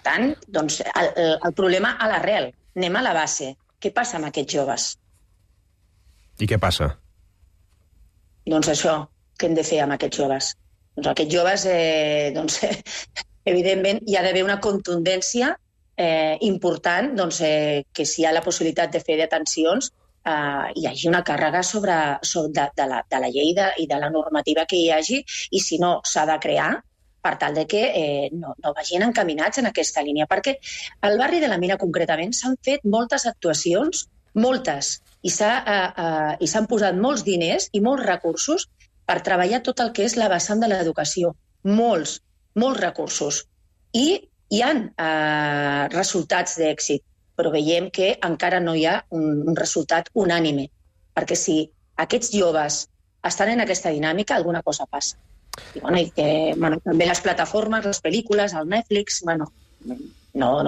tant, doncs, el problema a l'arrel. Anem a la base. Què passa amb aquests joves? I què passa? Doncs això, què hem de fer amb aquests joves? Doncs aquests joves, evidentment, hi ha d'haver una contundència important, que si hi ha la possibilitat de fer detencions, hi hagi una càrrega de la llei i de la normativa que hi hagi, i si no, s'ha de crear per tal de que no vagin encaminats en aquesta línia. Perquè al barri de la Mina, concretament, s'han fet moltes actuacions, moltes, i s'han posat molts diners i molts recursos per treballar tot el que és la vessant de l'educació. Molts recursos. I hi ha resultats d'èxit, però veiem que encara no hi ha un resultat unànime, perquè si aquests joves estan en aquesta dinàmica, alguna cosa passa. I també les plataformes, les pel·lícules, el Netflix, no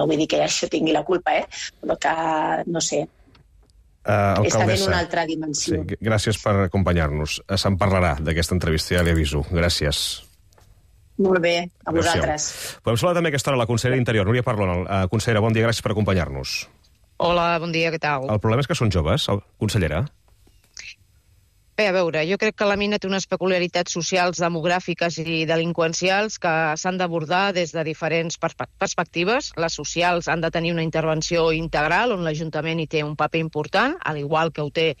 vull dir que això tingui la culpa, però que, no sé, està en una altra dimensió. Sí, gràcies per acompanyar-nos. Se'n parlarà d'aquesta entrevista, ja li aviso. Gràcies. Molt bé, a vosaltres. Podem saludar també a aquesta hora la consellera d'Interior, Núria Parlon. Consellera, bon dia, gràcies per acompanyar-nos. Hola, bon dia, què tal? El problema és que són joves, consellera? Bé, a veure, jo crec que la mina té unes peculiaritats socials, demogràfiques i delinqüencials que s'han d'abordar des de diferents perspectives. Les socials han de tenir una intervenció integral on l'Ajuntament hi té un paper important, al igual que ho té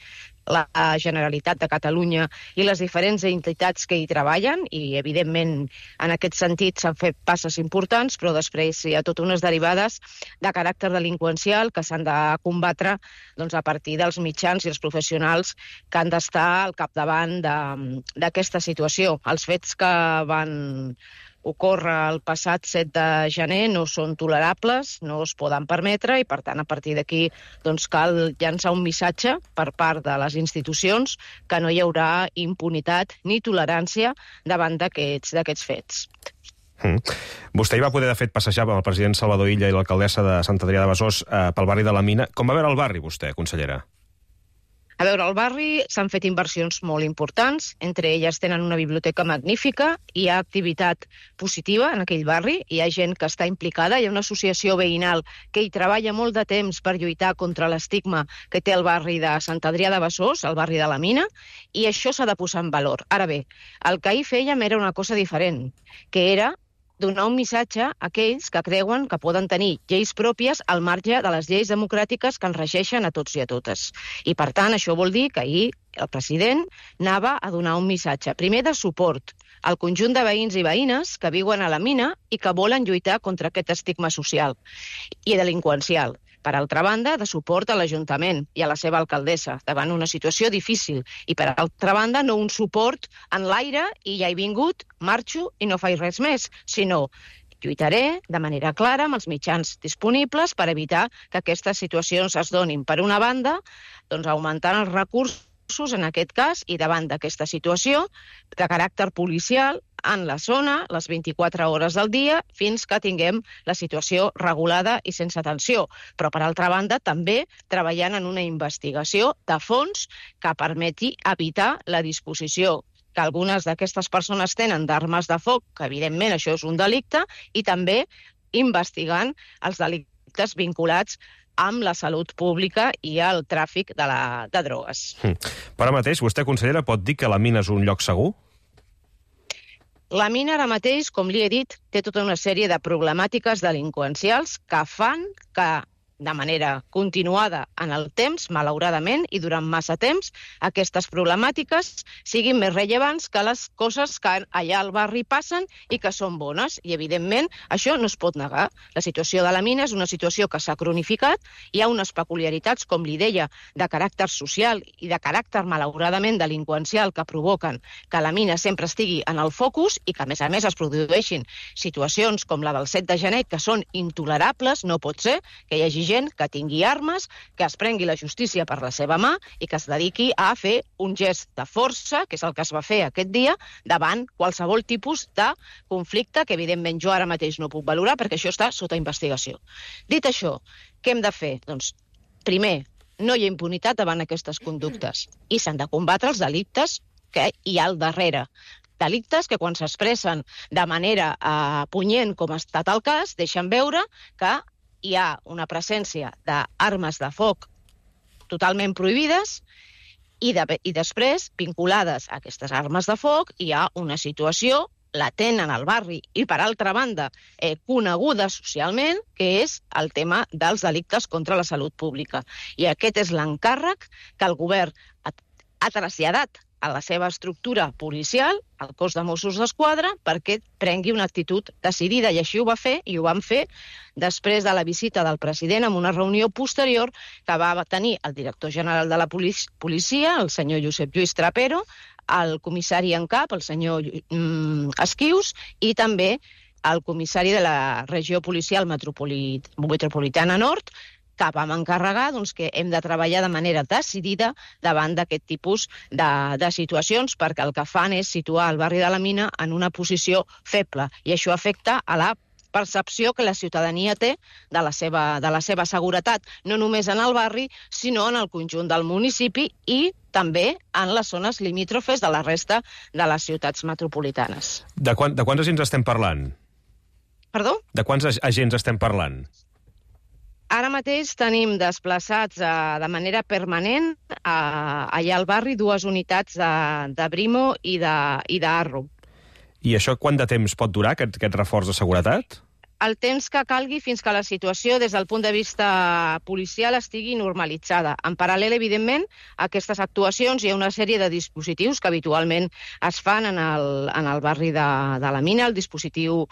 la Generalitat de Catalunya i les diferents entitats que hi treballen, i evidentment en aquest sentit s'han fet passes importants, però després hi ha totes unes derivades de caràcter delinqüencial que s'han de combatre a partir dels mitjans i els professionals que han d'estar al capdavant d'aquesta situació. Els fets que van ocórrer el passat 7 de gener no són tolerables, no es poden permetre, i per tant a partir d'aquí cal llançar un missatge per part de les institucions que no hi haurà impunitat ni tolerància davant d'aquests fets. Vostè hi va poder, de fet, passejar amb el president Salvador Illa i l'alcaldessa de Sant Adrià de Besòs pel barri de la Mina. Com va veure el barri, vostè, consellera? A veure, al barri s'han fet inversions molt importants, entre elles tenen una biblioteca magnífica, hi ha activitat positiva en aquell barri, hi ha gent que està implicada, hi ha una associació veïnal que hi treballa molt de temps per lluitar contra l'estigma que té el barri de Sant Adrià de Besòs, el barri de la Mina, i això s'ha de posar en valor. Ara bé, el que ahir fèiem era una cosa diferent, que era donar un missatge a aquells que creuen que poden tenir lleis pròpies al marge de les lleis democràtiques que ens regeixen a tots i a totes. I, per tant, això vol dir que ahir el president anava a donar un missatge, primer de suport al conjunt de veïns i veïnes que viuen a la Mina i que volen lluitar contra aquest estigma social i delinqüencial. Per altra banda, de suport a l'Ajuntament i a la seva alcaldessa davant una situació difícil. I per altra banda, no un suport en l'aire i ja he vingut, marxo i no faig res més, sinó lluitaré de manera clara amb els mitjans disponibles per evitar que aquestes situacions es donin. Per una banda, augmentant els recursos en aquest cas i davant d'aquesta situació de caràcter policial en la zona, les 24 hores del dia, fins que tinguem la situació regulada i sense tensió. Però, per altra banda, també treballant en una investigació de fons que permeti evitar la disposició que algunes d'aquestes persones tenen d'armes de foc, que evidentment això és un delicte, i també investigant els delictes vinculats amb la salut pública i el tràfic de drogues. Per ara mateix, vostè, consellera, pot dir que la Mina és un lloc segur? La Mina ara mateix, com li he dit, té tota una sèrie de problemàtiques delinqüencials que fan que, de manera continuada en el temps, malauradament, i durant massa temps, aquestes problemàtiques siguin més rellevants que les coses que allà al barri passen i que són bones. I, evidentment, això no es pot negar. La situació de la Mina és una situació que s'ha cronificat, hi ha unes peculiaritats, com li deia, de caràcter social i de caràcter, malauradament, delinqüencial que provoquen que la Mina sempre estigui en el focus i que, a més, es produeixin situacions com la del 7 de gener que són intolerables. No pot ser que hi hagi gent que tingui armes, que es prengui la justícia per la seva mà i que es dediqui a fer un gest de força, que és el que es va fer aquest dia, davant qualsevol tipus de conflicte que, evidentment, jo ara mateix no puc valorar perquè això està sota investigació. Dit això, què hem de fer? Doncs, primer, no hi ha impunitat davant aquestes conductes i s'han de combatre els delictes que hi ha al darrere. delictes que quan s'expressen de manera punyent, com ha estat el cas, deixen veure que hi ha una presència d'armes de foc totalment prohibides i després, vinculades a aquestes armes de foc, hi ha una situació latent en el barri i, per altra banda, coneguda socialment, que és el tema dels delictes contra la salut pública. I aquest és l'encàrrec que el govern ha traslladat a la seva estructura policial, al cos de Mossos d'Esquadra, perquè prengui una actitud decidida. I així ho va fer, i ho van fer després de la visita del president en una reunió posterior que va tenir el director general de la policia, el senyor Josep Lluís Trapero, el comissari en cap, el senyor Esquius, i també el comissari de la regió policial metropolitana nord, que vam encarregar que hem de treballar de manera decidida davant d'aquest tipus de situacions, perquè el que fan és situar el barri de la Mina en una posició feble, i això afecta a la percepció que la ciutadania té de la seva seguretat, no només en el barri, sinó en el conjunt del municipi i també en les zones limítrofes de la resta de les ciutats metropolitanes. De quants agents estem parlant? Perdó? De quants agents estem parlant? Ara mateix tenim desplaçats de manera permanent allà al barri 2 unitats de Brimo i d'Arro. I això quant de temps pot durar, aquest reforç de seguretat? El temps que calgui fins que la situació des del punt de vista policial estigui normalitzada. En paral·lel, evidentment, a aquestes actuacions hi ha una sèrie de dispositius que habitualment es fan en el barri de la Mina, el dispositiu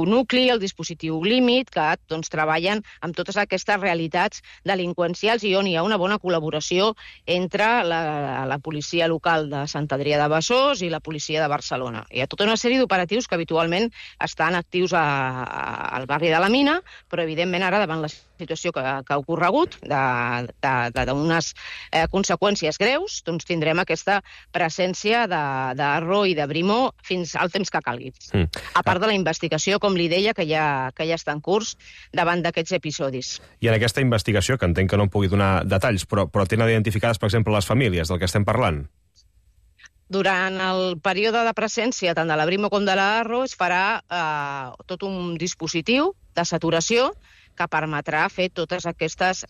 nucli, el dispositiu límit, que treballen amb totes aquestes realitats delinqüencials i on hi ha una bona col·laboració entre la policia local de Sant Adrià de Besòs i la policia de Barcelona. Hi ha tota una sèrie d'operatius que habitualment estan actius al barri de la Mina, però evidentment ara, davant la situació que ha ocorregut, d'unes conseqüències greus, doncs tindrem aquesta presència d'Arro i de Brimo fins al temps que calgui. A part de la investigació, com li deia, que ja està en curs davant d'aquests episodis. I en aquesta investigació, que entenc que no em pugui donar detalls, però tenen identificades, per exemple, les famílies del que estem parlant? Durant el període de presència tant de la Brimo com de l'Arro es farà tot un dispositiu de saturació que permetrà fer totes aquestes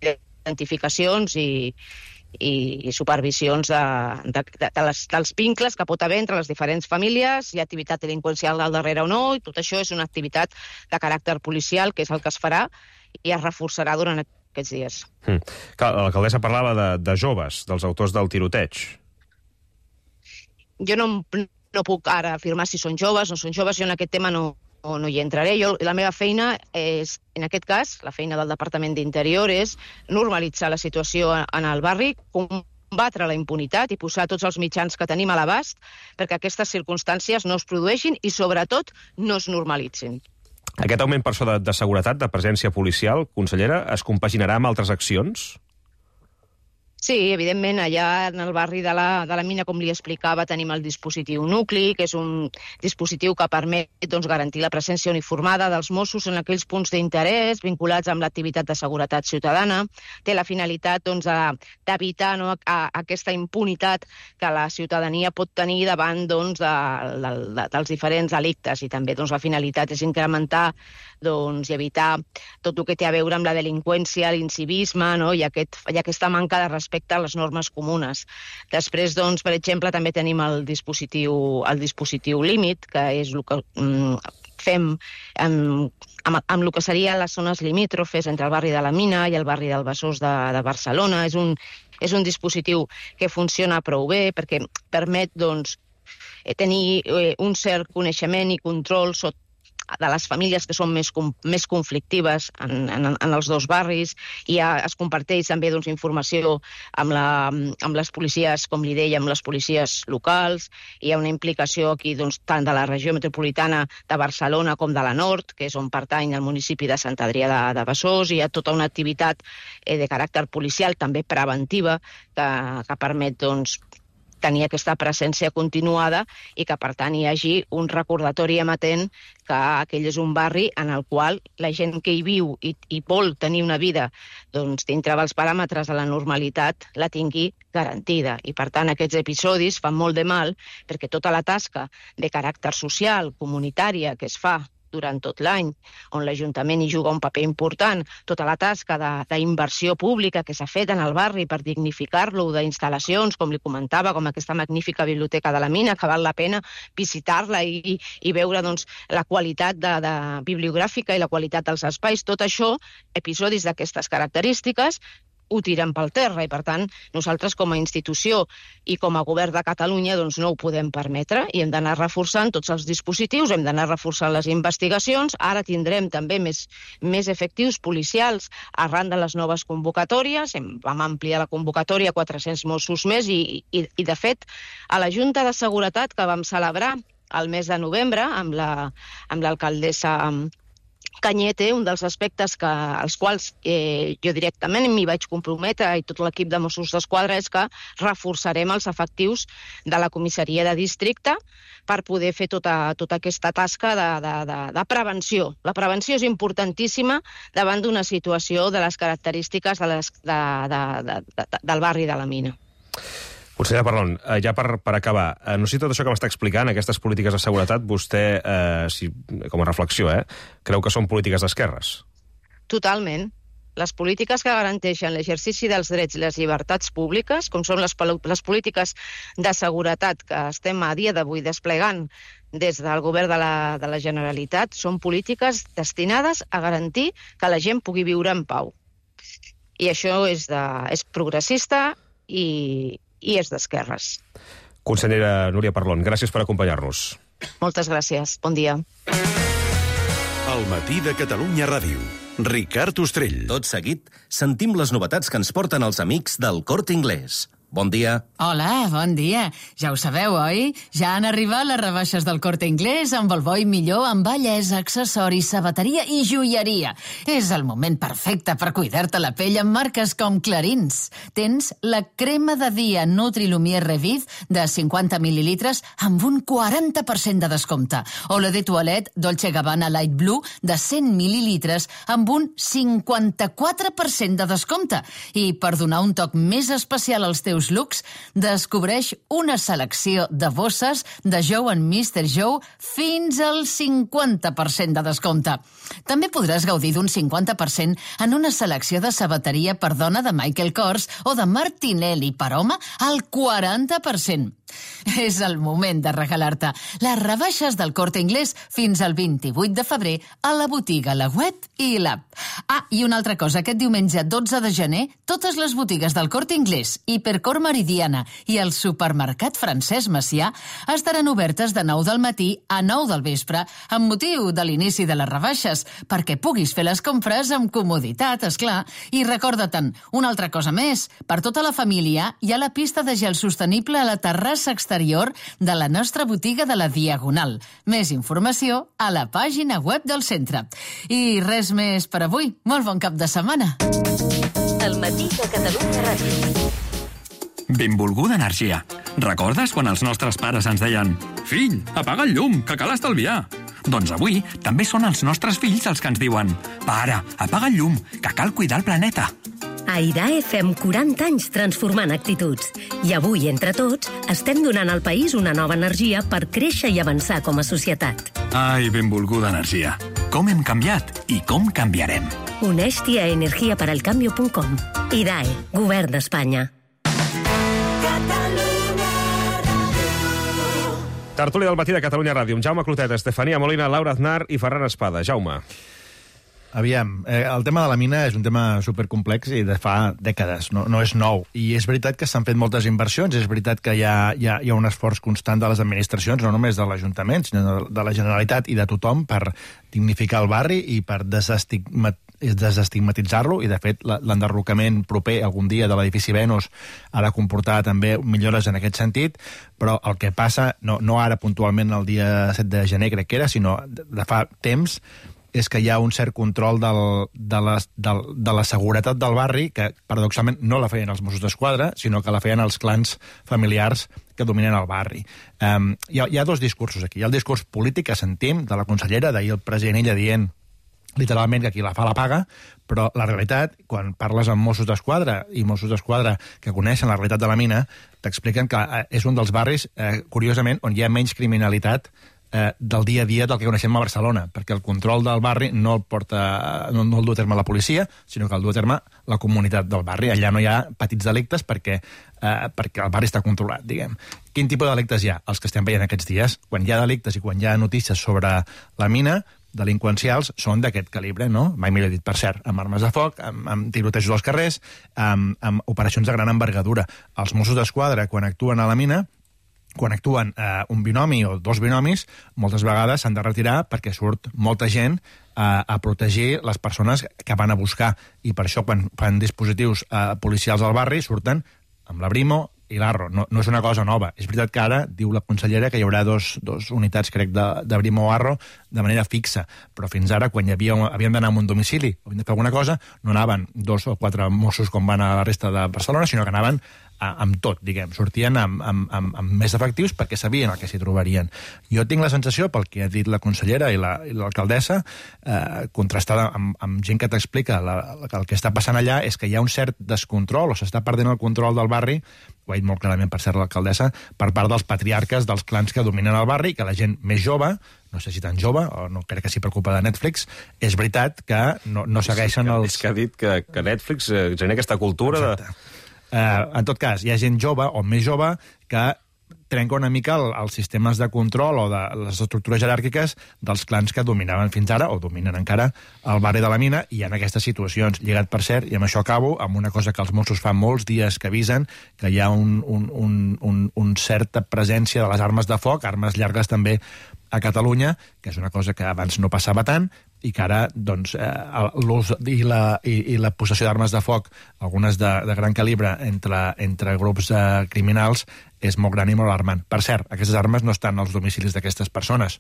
identificacions i supervisions dels vincles que pot haver entre les diferents famílies, hi ha activitat delinqüencial al darrere o no, i tot això és una activitat de caràcter policial, que és el que es farà i es reforçarà durant aquests dies. L'alcaldessa parlava de joves, dels autors del tiroteig. Jo no puc ara afirmar si són joves o no són joves, jo en aquest tema no hi entraré. La meva feina és, en aquest cas, la feina del Departament d'Interior és normalitzar la situació en el barri, combatre la impunitat i posar tots els mitjans que tenim a l'abast perquè aquestes circumstàncies no es produeixin i, sobretot, no es normalitzin. Aquest augment per això de seguretat, de presència policial, consellera, es compaginarà amb altres accions? Sí, evidentment, allà en el barri de la Mina, com li explicava, tenim el dispositiu nucli, que és un dispositiu que permet garantir la presència uniformada dels Mossos en aquells punts d'interès vinculats amb l'activitat de seguretat ciutadana. Té la finalitat d'evitar aquesta impunitat que la ciutadania pot tenir davant dels diferents delictes, i també la finalitat és incrementar i evitar tot el que té a veure amb la delinqüència, l'incivisme i aquesta manca de respecte a les normes comunes. Després, per exemple, també tenim el dispositiu límit, que és el que fem amb el que serien les zones limítrofes entre el barri de la Mina i el barri del Besòs de Barcelona. És un dispositiu que funciona prou bé perquè permet tenir un cert coneixement i control de les famílies que són més conflictives en els dos barris, i es comparteix també informació amb les policies, com li deia, amb les policies locals. Hi ha una implicació aquí tant de la regió metropolitana de Barcelona com de la Nord, que és on pertany el municipi de Sant Adrià de Besòs. Hi ha tota una activitat de caràcter policial, també preventiva, que permet tenir aquesta presència continuada i que, per tant, hi hagi un recordatori amatent que aquell és un barri en el qual la gent que hi viu i vol tenir una vida doncs, dintre dels paràmetres de la normalitat la tingui garantida. I, per tant, aquests episodis fan molt de mal perquè tota la tasca de caràcter social, comunitària, que es fa durant tot l'any, on l'Ajuntament hi juga un paper important, tota la tasca d'inversió pública que s'ha fet en el barri per dignificar-lo, d'instal·lacions, com li comentava, com aquesta magnífica biblioteca de la Mina, que val la pena visitar-la i veure doncs, la qualitat bibliogràfica i la qualitat dels espais. Tot això, episodis d'aquestes característiques, ho tiren pel terra i, per tant, nosaltres com a institució i com a govern de Catalunya doncs no ho podem permetre i hem d'anar reforçant tots els dispositius, hem d'anar reforçant les investigacions. Ara tindrem també més efectius policials arran de les noves convocatòries. Vam ampliar la convocatòria a 400 Mossos més i de fet, a la Junta de Seguretat que vam celebrar el mes de novembre amb l'alcaldessa Cañete, un dels aspectes als quals jo directament m'hi vaig comprometre i tot l'equip de Mossos d'Esquadra és que reforçarem els efectius de la comissaria de districte per poder fer tota aquesta tasca de prevenció. La prevenció és importantíssima davant d'una situació de les característiques del barri de la Mina. Consellera Parlon, ja per acabar, no sé si tot això que m'està explicant, aquestes polítiques de seguretat, vostè, com a reflexió, creu que són polítiques d'esquerres? Totalment. Les polítiques que garanteixen l'exercici dels drets i les llibertats públiques, com són les polítiques de seguretat que estem a dia d'avui desplegant des del govern de la Generalitat, són polítiques destinades a garantir que la gent pugui viure en pau. I això és progressista i és d'esquerres. Consellera Núria Parlon, gràcies per acompanyar-nos. Moltes gràcies. Bon dia. Al matí de Catalunya Ràdio. Ricard Ostrell. Tot seguit, sentim les novetats que ens porten els amics del Corte Inglés. Bon dia. Hola, bon dia. Ja ho sabeu, oi? Ja han arribat les rebaixes del Corte Inglés amb el bo i millor en bellesa, accessoris, sabateria i joieria. És el moment perfecte per cuidar-te la pell amb marques com Clarins. Tens la crema de dia Nutri-Lumière Revive de 50 mil·lilitres amb un 40% de descompte. O la de toilette Dolce & Gabbana Light Blue de 100 mil·lilitres amb un 54% de descompte. I per donar un toc més especial als teus looks, descobreix una selecció de bosses de Joe & Mr. Joe fins al 50% de descompte. També podràs gaudir d'un 50% en una selecció de sabateria per dona de Michael Kors o de Martinelli per home al 40%. És el moment de regalar-te les rebaixes del Corte Inglés fins al 28 de febrer a la botiga, la web i l'app. I una altra cosa, aquest diumenge 12 de gener, totes les botigues del Corte Inglés, Hipercor Meridiana i el supermercat Francesc Macià estaran obertes de 9 del matí a 9 del vespre amb motiu de l'inici de les rebaixes, perquè puguis fer les compres amb comoditat, esclar. I recorda-te'n, una altra cosa més, per tota la família hi ha la pista de gel sostenible a la terrassa exterior de la nostra botiga de la Diagonal. Més informació a la pàgina web del centre. I res més per avui. Molt bon cap de setmana. El matí de Catalunya Ràdio. Benvolguda energia. Recordes quan els nostres pares ens deien «Fill, apaga el llum, que cal estalviar»? Doncs avui també són els nostres fills els que ens diuen «Pare, apaga el llum, que cal cuidar el planeta». A IDAE fem 40 anys transformant actituds. I avui, entre tots, estem donant al país una nova energia per créixer i avançar com a societat. Ai, benvolguda energia. Com hem canviat i com canviarem. Uneix-t'hi a energiaparalcambio.com. IDAE, Govern d'Espanya. Tertúlia del matí de Catalunya Ràdio amb Jaume Clotet, Estefania Molina, Laura Aznar i Ferran Espada. Jaume. Aviam, el tema de la mina és un tema supercomplex i de fa dècades, no és nou. I és veritat que s'han fet moltes inversions, és veritat que hi ha un esforç constant de les administracions, no només de l'Ajuntament, sinó de la Generalitat i de tothom per dignificar el barri i per desestigmatitzar-lo, i de fet l'enderrocament proper algun dia de l'edifici Venus ha de comportar també millores en aquest sentit, però el que passa, no ara puntualment el dia 7 de gener crec que era, sinó de fa temps, és que hi ha un cert control de la seguretat del barri, que paradoxalment no la feien els Mossos d'Esquadra, sinó que la feien els clans familiars que dominen el barri. Hi ha dos discursos aquí. Hi ha el discurs polític que sentim de la consellera, d'ahir el president ella dient literalment que qui la fa la paga, però la realitat, quan parles amb Mossos d'Esquadra i Mossos d'Esquadra que coneixen la realitat de la mina, t'expliquen que és un dels barris, curiosament, on hi ha menys criminalitat del dia a dia del que coneixem a Barcelona, perquè el control del barri no el du a terme la policia, sinó que el du a terme la comunitat del barri. Allà no hi ha petits delictes perquè el barri està controlat, diguem. Quin tipus de delictes hi ha? Els que estem veient aquests dies. Quan hi ha delictes i quan hi ha notícies sobre la mina, delinqüencials són d'aquest calibre, no? Mai millor dit, per cert, amb armes de foc, amb tirotejos als carrers, amb operacions de gran envergadura. Els Mossos d'Esquadra, quan actuen a la mina, quan actuen un binomi o dos binomis, moltes vegades s'han de retirar perquè surt molta gent a protegir les persones que van a buscar. I per això, quan fan dispositius policials al barri, surten amb la Brimo i l'Arro. No és una cosa nova. És veritat que ara, diu la consellera, que hi haurà dos unitats, crec, de Brimo o Arro de manera fixa, però fins ara, quan havien d'anar a un domicili o havien de fer alguna cosa, no anaven 2 o 4 Mossos com van a la resta de Barcelona, sinó que anaven amb tot, diguem. Sortien amb més efectius perquè sabien el que s'hi trobarien. Jo tinc la sensació, pel que ha dit la consellera i l'alcaldessa, contrastada amb gent que t'explica que el que està passant allà és que hi ha un cert descontrol, o s'està perdent el control del barri, ho ha dit molt clarament, per cert, l'alcaldessa, per part dels patriarques dels clans que dominen el barri, que la gent més jove, no sé si tan jove, o no crec que s'hi preocupa de Netflix, és veritat que no segueixen els... És que ha dit que Netflix genera aquesta cultura. Exacte. En tot cas, hi ha gent jove o més jove que trenca una mica els sistemes de control o de les estructures jeràrquiques dels clans que dominaven fins ara, o dominen encara, el barri de la mina, i en aquestes situacions, lligat, per cert, i amb això acabo, amb una cosa que els Mossos fa molts dies que avisen, que hi ha un certa presència de les armes de foc, armes llargues també a Catalunya, que és una cosa que abans no passava tant, i que ara doncs, l'ús i la possessió d'armes de foc, algunes de gran calibre, entre grups criminals, és molt gran i molt alarmant. Per cert, aquestes armes no estan als domicilis d'aquestes persones.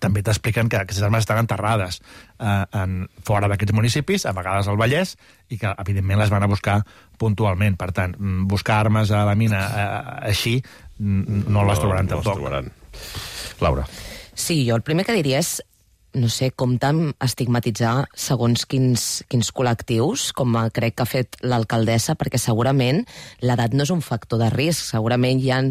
També t'expliquen que aquestes armes estan enterrades fora d'aquests municipis, a vegades al Vallès, i que, evidentment, les van a buscar puntualment. Per tant, buscar armes a la mina així no les trobaran tampoc. Laura. Sí, jo el primer que diria és no sé, com tant estigmatitzar segons quins col·lectius, com crec que ha fet l'alcaldessa, perquè segurament l'edat no és un factor de risc, segurament hi ha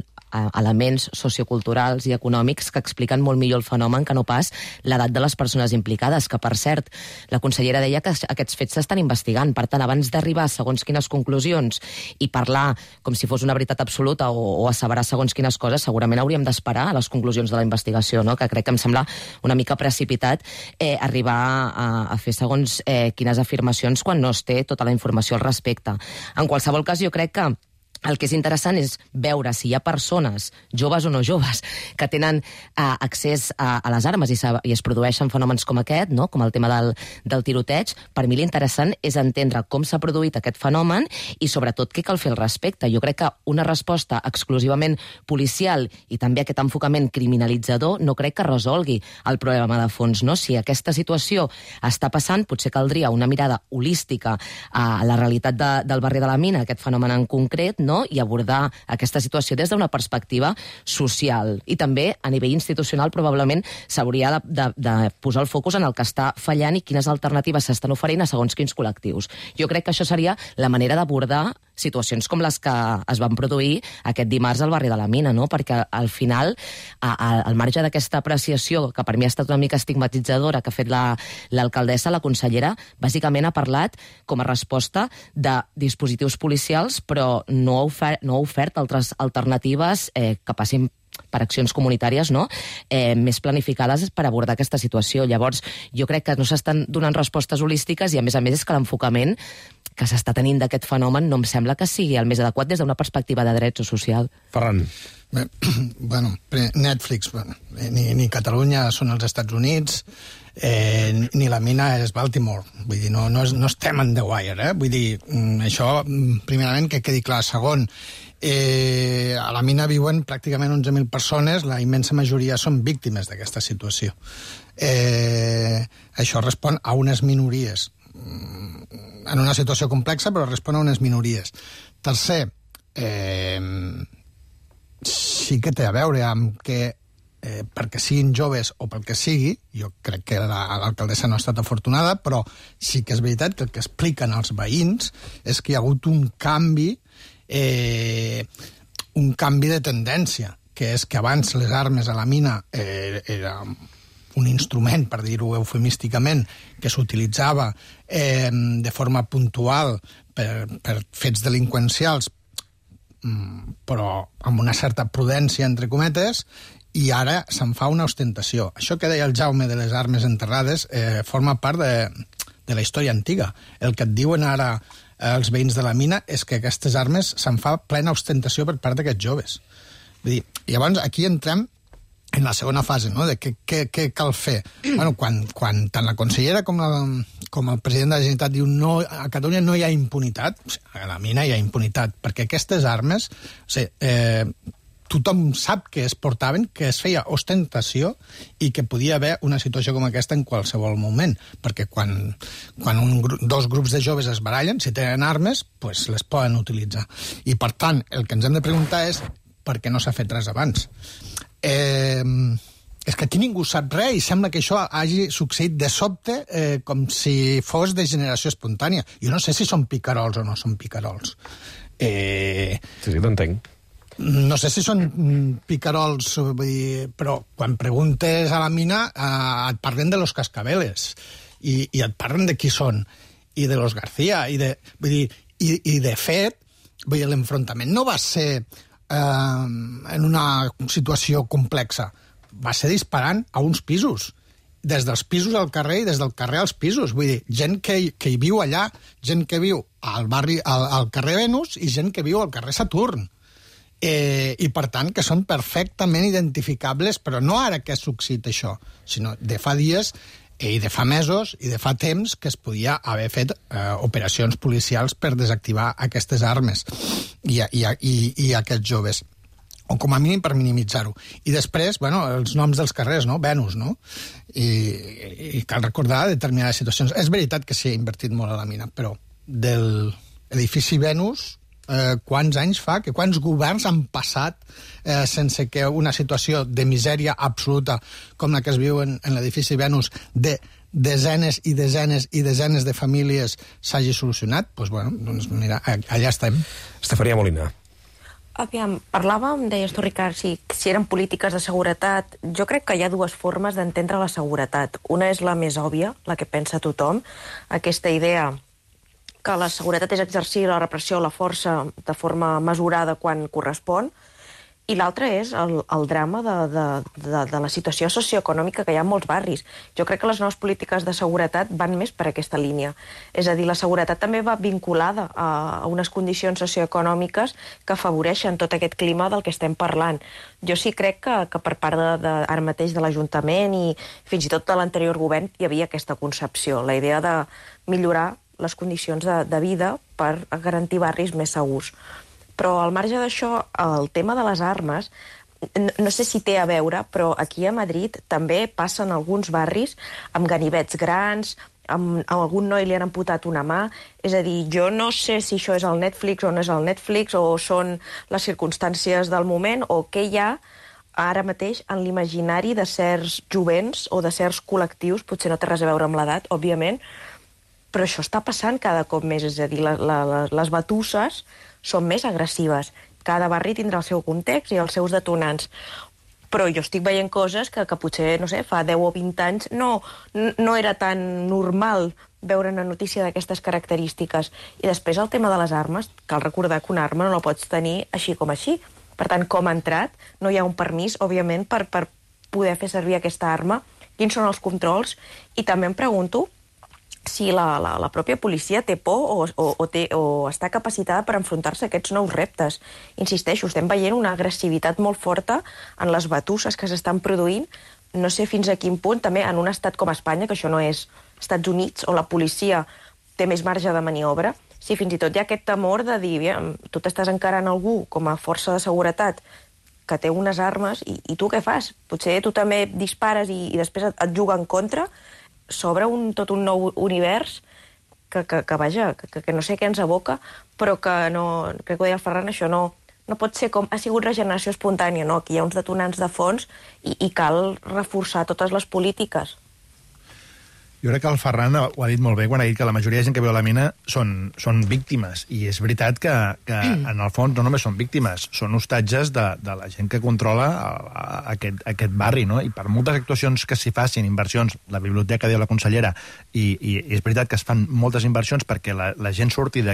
elements socioculturals i econòmics que expliquen molt millor el fenomen que no pas l'edat de les persones implicades, que, per cert, la consellera deia que aquests fets s'estan investigant. Per tant, abans d'arribar a segons quines conclusions i parlar com si fos una veritat absoluta o asseverar segons quines coses, segurament hauríem d'esperar a les conclusions de la investigació, no? Que crec que em sembla una mica precipitat arribar a fer segons quines afirmacions quan no es té tota la informació al respecte. En qualsevol cas, jo crec que el que és interessant és veure si hi ha persones, joves o no joves, que tenen accés a les armes i es produeixen fenòmens com aquest, no? Com el tema del tiroteig. Per mi l'interessant és entendre com s'ha produït aquest fenomen i, sobretot, què cal fer al respecte. Jo crec que una resposta exclusivament policial i també aquest enfocament criminalitzador no crec que resolgui el problema de fons, no? Si aquesta situació està passant, potser caldria una mirada holística a la realitat del barri de la Mina, aquest fenomen en concret, no? I abordar aquesta situació des d'una perspectiva social. I també, a nivell institucional, probablement s'hauria de posar el focus en el que està fallant i quines alternatives s'estan oferint a segons quins col·lectius. Jo crec que això seria la manera d'abordar situacions com les que es van produir aquest dimarts al barri de la Mina, no? Perquè al final, al marge d'aquesta apreciació, que per mi ha estat una mica estigmatitzadora, que ha fet l'alcaldessa, la consellera, bàsicament ha parlat com a resposta de dispositius policials, però no ha ofert altres alternatives que passin per accions comunitàries, no? Més planificades per abordar aquesta situació. Llavors, jo crec que no s'estan donant respostes holístiques i, a més és que l'enfocament que s'està tenint d'aquest fenomen no em sembla que sigui el més adequat des d'una perspectiva de drets o social. Ferran. Bueno, Netflix, ni Catalunya són els Estats Units, ni la mina és Baltimore. Vull dir, no estem en The Wire, eh? Vull dir, això, primerament, que quedi clar. Segon, A la mina viuen pràcticament 11.000 persones, la immensa majoria són víctimes d'aquesta situació. Això respon a unes minories, en una situació complexa, però respon a unes minories. Tercer, sí que té a veure amb que perquè siguin joves o pel que sigui, jo crec que l'alcaldessa no ha estat afortunada, però sí que és veritat que el que expliquen els veïns és que hi ha hagut un canvi de tendència, que és que abans les armes a la mina era un instrument, per dir-ho eufemísticament, que s'utilitzava de forma puntual per fets delinqüencials, però amb una certa prudència, entre cometes, i ara se'n fa una ostentació. Això que deia el Jaume de les armes enterrades forma part de la història antiga. El que et diuen ara els veïns de la mina és que aquestes armes se'n fa plena ostentació per part d'aquests joves. Vull dir, llavors aquí entrem en la segona fase, no?, de què cal fer. Bueno, quan tant la consellera com el president de la Generalitat diu no, a Catalunya no hi ha impunitat, a la mina hi ha impunitat, perquè aquestes armes, tothom sap que es portaven, que es feia ostentació i que podia haver una situació com aquesta en qualsevol moment, perquè quan dos grups de joves es barallen, si tenen armes, pues les poden utilitzar. I, per tant, el que ens hem de preguntar és per què no s'ha fet res abans. És que aquí ningú sap res i sembla que això hagi succeït de sobte com si fos de generació espontània. Jo no sé si són picarols o no són picarols. Sí, t'entenc. No sé si són picarols, vull dir, però quan preguntes a la mina et parlen de los cascabeles i et parlen de qui són i de los García i de fet l'enfrontament no va ser en una situació complexa, va ser disparant a uns pisos, des dels pisos al carrer i des del carrer als pisos, vull dir, gent que hi viu allà, gent que viu al carrer Venus i gent que viu al carrer Saturn. I, per tant, que són perfectament identificables, però no ara que ha succeït això, sinó de fa dies i de fa mesos i de fa temps que es podia haver fet operacions policials per desactivar aquestes armes i aquests joves, o com a mínim per minimitzar-ho. I després, bueno, els noms dels carrers, no? Venus, no? I cal recordar determinades situacions. És veritat que s'hi ha invertit molt a la mina, però de l'edifici Venus, quants anys fa, que quants governs han passat sense que una situació de misèria absoluta com la que es viu en l'edifici Venus de desenes i desenes i desenes de famílies s'hagi solucionat? Doncs, bueno, mira, allà estem. Estefania Molina. Aviam, parlàvem, deies tu, Ricard, si eren polítiques de seguretat. Jo crec que hi ha dues formes d'entendre la seguretat. Una és la més òbvia, la que pensa tothom, aquesta idea que la seguretat és exercir la repressió o la força de forma mesurada quan correspon, i l'altra és el drama de la situació socioeconòmica que hi ha en molts barris. Jo crec que les noves polítiques de seguretat van més per aquesta línia. És a dir, la seguretat també va vinculada a unes condicions socioeconòmiques que afavoreixen tot aquest clima del que estem parlant. Jo sí crec que per part ara mateix de l'Ajuntament i fins i tot de l'anterior govern hi havia aquesta concepció, la idea de millorar les condicions de vida per garantir barris més segurs. Però al marge d'això, el tema de les armes, no sé si té a veure, però aquí a Madrid també passen alguns barris amb ganivets grans, amb algun noi li han amputat una mà. És a dir, jo no sé si això és el Netflix o no és el Netflix, o són les circumstàncies del moment, o què hi ha ara mateix en l'imaginari de certs jovents o de certs col·lectius, potser no té res a veure amb l'edat, òbviament, però això està passant cada cop més, és a dir, les batusses són més agressives. Cada barri tindrà el seu context i els seus detonants. Però jo estic veient coses que potser, no sé, fa 10 o 20 anys no era tan normal veure una notícia d'aquestes característiques. I després el tema de les armes, cal recordar que una arma no la pots tenir així com així. Per tant, com ha entrat, no hi ha un permís, òbviament, per poder fer servir aquesta arma. Quins són els controls? I també em pregunto si la pròpia policia té por o està capacitada per enfrontar-se a aquests nous reptes. Insisteixo, estem veient una agressivitat molt forta en les batusses que s'estan produint. No sé fins a quin punt, també en un estat com Espanya, que això no és Estats Units, on la policia té més marge de maniobra, si fins i tot hi ha aquest temor de dir, tu t'estàs encarant algú com a força de seguretat que té unes armes, i tu què fas? Potser tu també dispares i després et juga en contra, s'obre tot un nou univers que no sé què ens aboca, però que no, crec que ho deia el Ferran, això no pot ser com ha sigut regeneració espontània, no? Aquí hi ha uns detonants de fons i cal reforçar totes les polítiques. Jo crec que el Ferran ho ha dit molt bé quan ha dit que la majoria de gent que veu la mina són víctimes, i és veritat que en el fons no només són víctimes, són hostatges de la gent que controla aquest barri, no? I per moltes actuacions que s'hi facin, inversions, la biblioteca, diu la consellera, i és veritat que es fan moltes inversions perquè la gent surti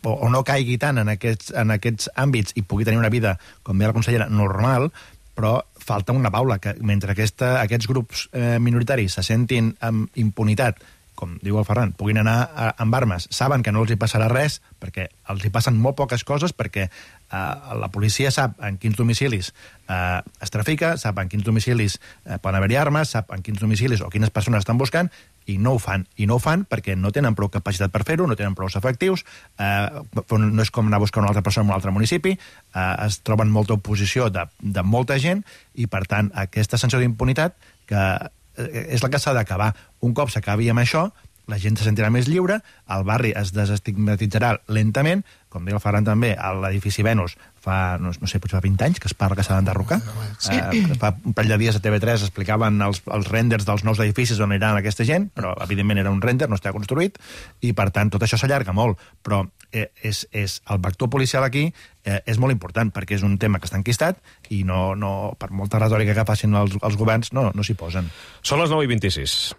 o no caigui tant en aquests àmbits i pugui tenir una vida, com deia la consellera, normal, però falta una baula, que mentre aquests grups minoritaris se sentin amb impunitat, com diu el Ferran, puguin anar amb armes, saben que no els hi passarà res, perquè els hi passen molt poques coses, perquè la policia sap en quins domicilis es trafica, sap en quins domicilis poden haver-hi armes, sap en quins domicilis o quines persones estan buscant, i no ho fan. I no ho fan perquè no tenen prou capacitat per fer-ho, no tenen prou efectius, no és com anar a buscar una altra persona en un altre municipi, es troben molta oposició de molta gent, i per tant aquesta sensació d'impunitat que és la que s'ha d'acabar. Un cop s'acabi amb això, la gent se sentirà més lliure, el barri es desestigmatitzarà lentament, com deia el Ferran també, a l'edifici Venus fa, no sé, potser fa 20 anys que es parla que s'ha d'enderrocar. Fa un parell de dies a TV3 explicaven els renders dels nous edificis on aniran aquesta gent, però evidentment era un render, no està construït, i per tant tot això s'allarga molt, però el vector policial aquí és molt important, perquè és un tema que està enquistat i no per molta retòrica que facin els governs no s'hi posen. Són les 9:26.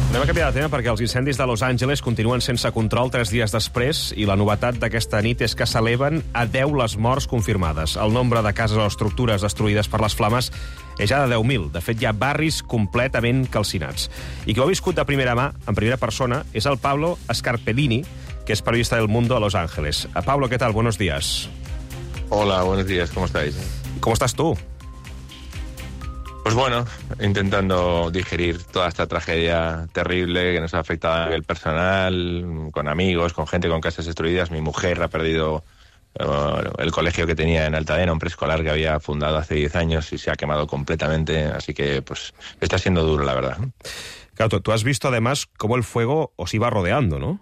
Anem a canviar de tema perquè els incendis de Los Angeles continuen sense control 3 dies després, i la novetat d'aquesta nit és que s'eleven a 10 les morts confirmades. El nombre de cases o estructures destruïdes per les flames és ja de 10.000. De fet, hi ha barris completament calcinats. I qui ho ha viscut de primera mà, en primera persona, és el Pablo Scarpellini, que es periodista del Mundo a Los Ángeles. Pablo, ¿qué tal? Buenos días. Hola, buenos días. ¿Cómo estáis? ¿Cómo estás tú? Pues bueno, intentando digerir toda esta tragedia terrible que nos ha afectado a nivel personal, con amigos, con gente con casas destruidas. Mi mujer ha perdido el colegio que tenía en Altadena, un preescolar que había fundado hace 10 años y se ha quemado completamente, así que pues está siendo duro, la verdad. Claro, tú has visto además cómo el fuego os iba rodeando, ¿no?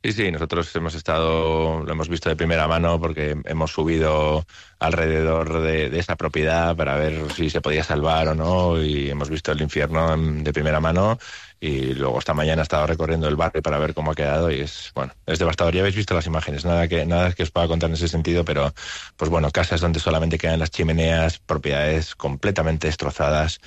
Sí, nosotros lo hemos visto de primera mano porque hemos subido alrededor de esa propiedad para ver si se podía salvar o no, y hemos visto el infierno de primera mano, y luego esta mañana he estado recorriendo el barrio para ver cómo ha quedado y es devastador. Ya habéis visto las imágenes, nada que os pueda contar en ese sentido, pero pues bueno, casas donde solamente quedan las chimeneas, propiedades completamente destrozadas.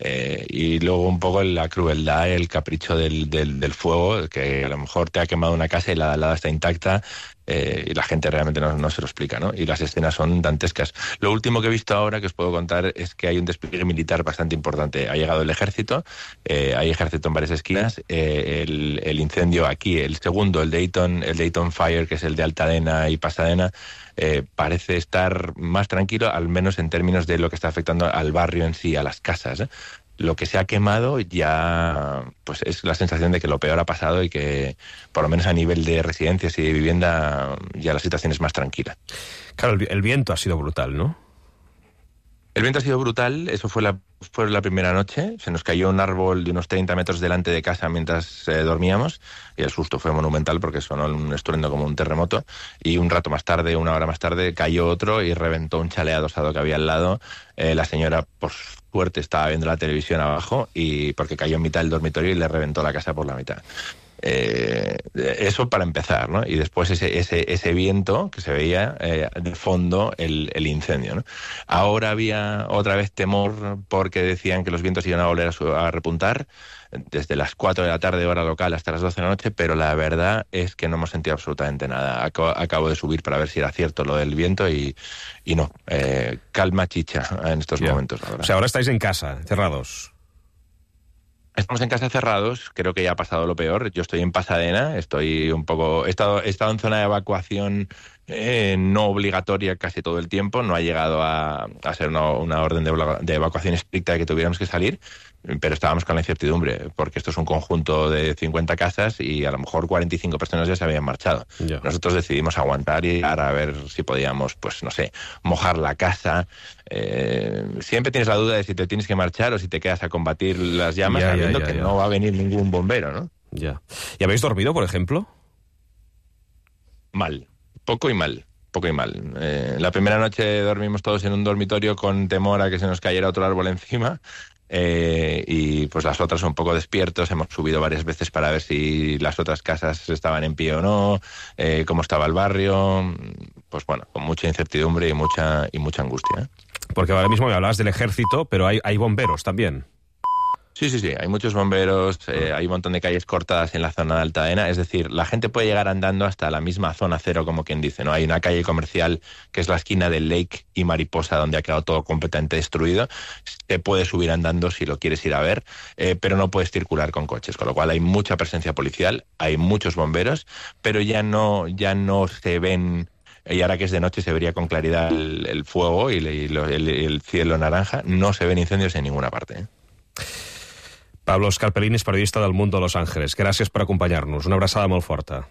Y luego un poco la crueldad, el capricho del fuego, que a lo mejor te ha quemado una casa y la de al lado está intacta, y la gente realmente no se lo explica, ¿no? Y las escenas son dantescas. Lo último que he visto ahora que os puedo contar es que hay un despliegue militar bastante importante. Ha llegado el ejército, hay ejército en varias esquinas, el incendio aquí, el segundo, el Dayton Fire, que es el de Altadena y Pasadena, parece estar más tranquilo, al menos en términos de lo que está afectando al barrio en sí, a las casas, ¿eh? Lo que se ha quemado ya pues es la sensación de que lo peor ha pasado y que por lo menos a nivel de residencias y de vivienda ya la situación es más tranquila. Claro, el viento ha sido brutal, ¿no? El viento ha sido brutal, eso fue la primera noche. Se nos cayó un árbol de unos 30 metros delante de casa mientras dormíamos, y el susto fue monumental porque sonó un estruendo como un terremoto, y un rato más tarde, una hora más tarde, cayó otro y reventó un chalet adosado que había al lado. La señora, por suerte, estaba viendo la televisión abajo, y porque cayó en mitad del dormitorio y le reventó la casa por la mitad. Eso para empezar, ¿no? Y después ese viento que se veía de fondo el incendio, ¿no? Ahora había otra vez temor porque decían que los vientos iban a volver a repuntar desde las 4 de la tarde hora local hasta las 12 de la noche, pero la verdad es que no hemos sentido absolutamente nada. Acabo de subir para ver si era cierto lo del viento y no, calma chicha en estos momentos, la verdad. O sea, ahora estáis en casa, encerrados. Estamos en casa cerrados, creo que ya ha pasado lo peor. Yo estoy en Pasadena, he estado en zona de evacuación no obligatoria casi todo el tiempo, no ha llegado a ser una orden de evacuación estricta de que tuviéramos que salir, pero estábamos con la incertidumbre, porque esto es un conjunto de 50 casas y a lo mejor 45 personas ya se habían marchado. Ya. Nosotros decidimos aguantar y a ver si podíamos, pues no sé, mojar la casa. Siempre tienes la duda de si te tienes que marchar o si te quedas a combatir las llamas, sabiendo que no va a venir ningún bombero, ¿no? Ya. ¿Y habéis dormido, por ejemplo? Mal. Poco y mal. La primera noche dormimos todos en un dormitorio con temor a que se nos cayera otro árbol encima, y pues las otras un poco despiertos. Hemos subido varias veces para ver si las otras casas estaban en pie o no, cómo estaba el barrio. Pues bueno, con mucha incertidumbre y mucha angustia, ¿eh? Porque ahora mismo me hablabas del ejército, pero hay bomberos también. Sí, hay muchos bomberos, hay un montón de calles cortadas en la zona de Altaena, es decir, la gente puede llegar andando hasta la misma zona cero, como quien dice, ¿no? Hay una calle comercial que es la esquina del Lake y Mariposa, donde ha quedado todo completamente destruido. Te puedes subir andando si lo quieres ir a ver, pero no puedes circular con coches, con lo cual hay mucha presencia policial, hay muchos bomberos, pero ya no se ven. Y ahora que es de noche se vería con claridad el fuego y el cielo naranja, no se ven incendios en ninguna parte, ¿eh? Pablo Scarpellini és periodista del Mundo Los Ángeles. Gràcies per acompanyar-nos. Una abraçada molt forta.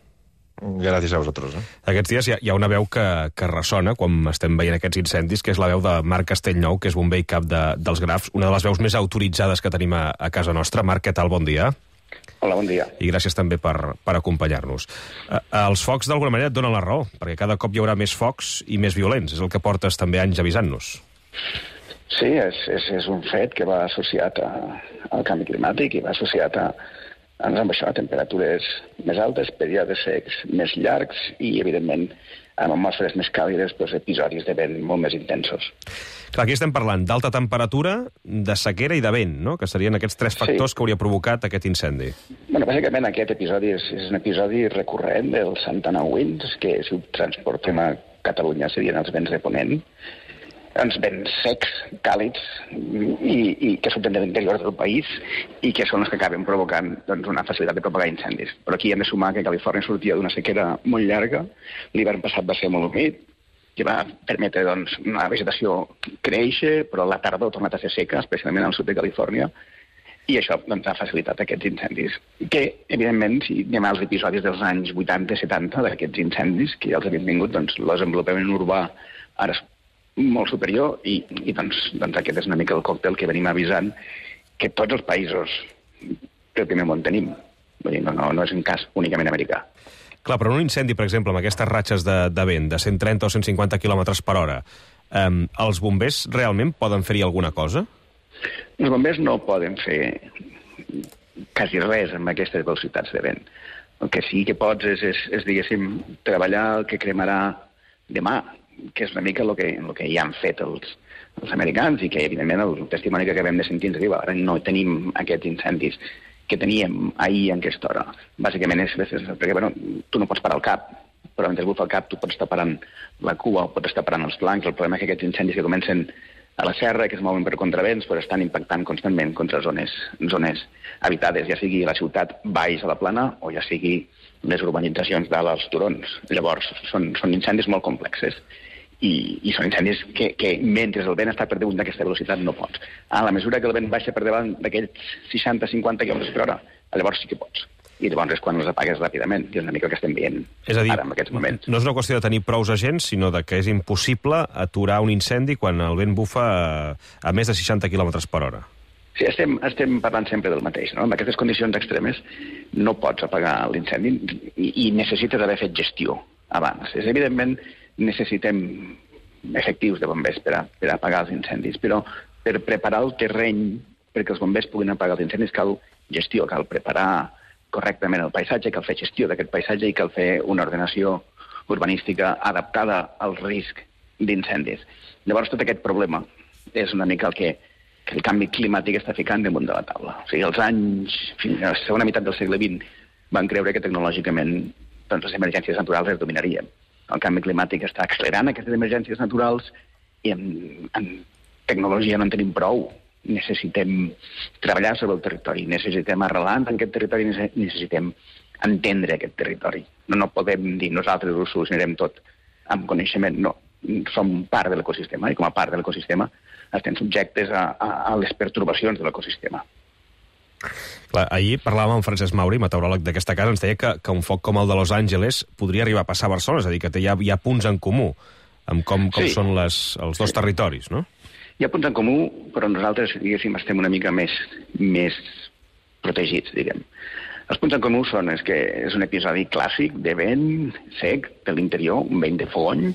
Gràcies a vosaltres. Aquests dies hi ha una veu que ressona quan estem veient aquests incendis, que és la veu de Marc Castellnou, que és bomber i cap dels Grafs, una de les veus més autoritzades que tenim a casa nostra. Marc, què tal? Bon dia. Hola, bon dia. I gràcies també per acompanyar-nos. Els focs, d'alguna manera, et donen la raó, perquè cada cop hi haurà més focs i més violents. És el que portes també anys avisant-nos. Sí, és un fet que va associat al canvi climàtic i va associat a temperatures més altes, períodes secs més llargs i, evidentment, amb atmosferes més càlides, episodis de vent molt més intensos. Clar, aquí estem parlant d'alta temperatura, de sequera i de vent, no? Que serien aquests tres factors que hauria provocat aquest incendi. Bueno, bàsicament aquest episodi és un episodi recurrent dels Santa Ana Winds, que si ho transportem a Catalunya serien els vents de ponent, uns vents secs, càlids, i que surten de l'interior del país i que són els que acaben provocant una facilitat de propagar incendis. Però aquí hem de sumar que Califòrnia sortia d'una sequera molt llarga, l'hivern passat va ser molt humit, que va permetre una vegetació créixer, però la tardor ha tornat a ser seca, especialment al sud de Califòrnia, i això ha facilitat aquests incendis. Que, evidentment, si anem als episodis dels anys 80-70 d'aquests incendis, que ja els havien vingut, el desenvolupament urbà ara és molt superior i aquest és una mica el còctel que venim avisant que tots els països del primer món tenim. Vull dir, no és un cas únicament americà. Clar, però un incendi, per exemple, amb aquestes ratxes de vent de 130 o 150 km per hora, els bombers realment poden fer-hi alguna cosa? Els bombers no poden fer quasi res amb aquestes velocitats de vent. El que sí que pots és diguéssim, treballar el que cremarà demà, que és una mica el que ja han fet els americans i que, evidentment, el testimoni que acabem de sentir ens diu ara no tenim aquests incendis que teníem ahir en aquesta hora. Bàsicament és perquè, tu no pots parar el cap, però mentre bufa el cap tu pots estar parant la cua o pots estar parant els flancs. El problema és que aquests incendis que comencen a la serra, que es mouen per contravents, estan impactant constantment contra zones habitades, ja sigui la ciutat baix a la plana o ja sigui les urbanitzacions dalt als turons. Llavors, són incendis molt complexes i són incendis que mentre el vent està per damunt d'aquesta velocitat no pots. A la mesura que el vent baixa per davant d'aquells 60-50 km per hora, llavors sí que pots. I llavors és quan els apagues ràpidament, que és una mica el que estem veient ara en aquests moments. No és una qüestió de tenir prous agents, sinó de que és impossible aturar un incendi quan el vent bufa a més de 60 km per hora. Sí, estem parlant sempre del mateix, no? En aquestes condicions extremes no pots apagar l'incendi i necessites haver fet gestió abans. Evidentment, necessitem efectius de bombers per apagar els incendis, però per preparar el terreny perquè els bombers puguin apagar els incendis cal gestió, cal preparar correctament el paisatge, cal fer gestió d'aquest paisatge i cal fer una ordenació urbanística adaptada al risc d'incendis. Llavors, tot aquest problema és una mica el que el canvi climàtic està ficant damunt de la taula. O sigui, els anys, fins a la segona meitat del segle XX, van creure que tecnològicament les emergències naturals es dominarien. El canvi climàtic està accelerant aquestes emergències naturals i en tecnologia no en tenim prou. Necessitem treballar sobre el territori, necessitem arrelar en aquest territori, necessitem entendre aquest territori. No podem dir nosaltres ho solucionarem tot amb coneixement, no. Som part de l'ecosistema, i com a part de l'ecosistema estem subjectes a les pertorbacions de l'ecosistema. Clar, ahir parlàvem amb Francesc Mauri, meteoròleg d'aquesta casa, ens deia que un foc com el de Los Angeles podria arribar a passar a Barcelona, és a dir, que hi ha punts en comú amb com són els dos territoris, no? Hi ha punts en comú, però nosaltres, diguéssim, estem una mica més protegits, diguem. Els punts en comú són que és un episodi clàssic de vent sec de l'interior, un vent de fogony,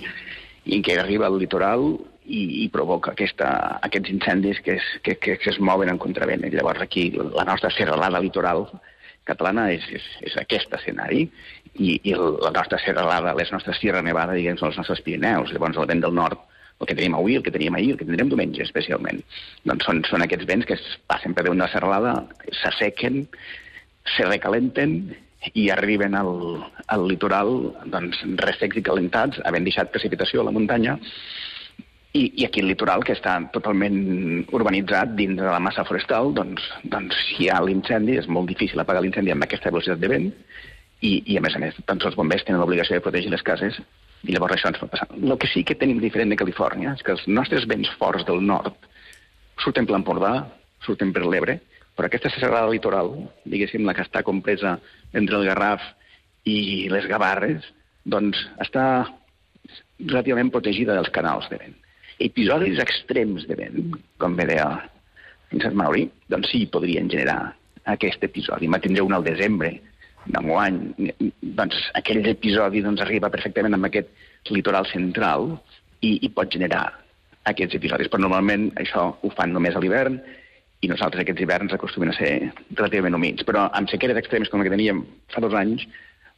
i que arriba al litoral i provoca aquests incendis que es mouen en contravent. Llavors aquí la nostra serralada litoral catalana és aquest escenari i la nostra serralada, les nostres Sierra Nevada, diguem, són els nostres Pirineus. Llavors el vent del nord, el que tenim avui, el que teníem ahir, el que tindrem diumenge especialment, doncs són aquests vents que es passen per damunt de la serralada, s'assequen, se recalenten i arriben al litoral doncs, ressecs i calentats, havent deixat precipitació a la muntanya. I aquí el litoral, que està totalment urbanitzat dins de la massa forestal, doncs si hi ha l'incendi, és molt difícil apagar l'incendi amb aquesta velocitat de vent i a més, doncs els bombers tenen l'obligació de protegir les cases i llavors això ens pot passar. El que sí que tenim diferent de Califòrnia és que els nostres vents forts del nord surten per l'Empordà, surten per l'Ebre, però aquesta serralada litoral, diguéssim, la que està compresa entre el Garraf i les Gavarres, doncs està relativament protegida dels canals de vent. Episodis extrems de vent, com bé deia Francesc Mauri, doncs sí, podrien generar aquest episodi. En tindré un al desembre d'enguany. Doncs aquell episodi arriba perfectament amb aquest litoral central i pot generar aquests episodis. Però normalment això ho fan només a l'hivern i nosaltres aquests hiverns acostumen a ser relativament humits. Però amb sequeres extremes com la que teníem fa 2 anys,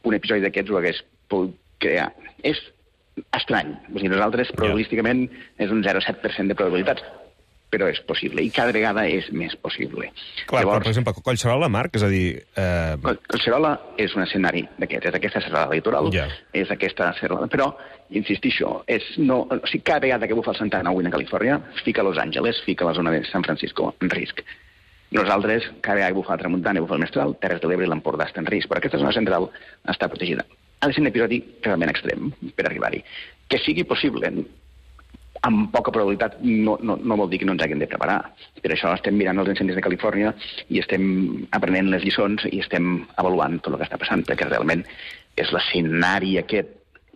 un episodi d'aquests ho hagués pogut crear. És estrany. O sigui, nosaltres, probabilísticament, és un 0,7% de probabilitats, però és possible, i cada vegada és més possible. Clar, llavors, però, per exemple, Collserola, Marc, és a dir... Collserola és un escenari d'aquest, és aquesta serralada litoral, és aquesta serralada, però, insistixo, cada vegada que bufa el Santa Ana avui a Califòrnia, fica Los Angeles, fica la zona de San Francisco en risc. Nosaltres, cada vegada que bufa la Tramuntana i bufa el Mestral, Terres de l'Ebre i l'Empordà està en risc, però aquesta zona central està protegida. Ha de ser un episodi realment extrem per arribar-hi. Que sigui possible, amb poca probabilitat, no vol dir que no ens haguem de preparar. Per això estem mirant els incendis de Califòrnia i estem aprenent les lliçons i estem avaluant tot el que està passant, perquè realment és l'escenari aquest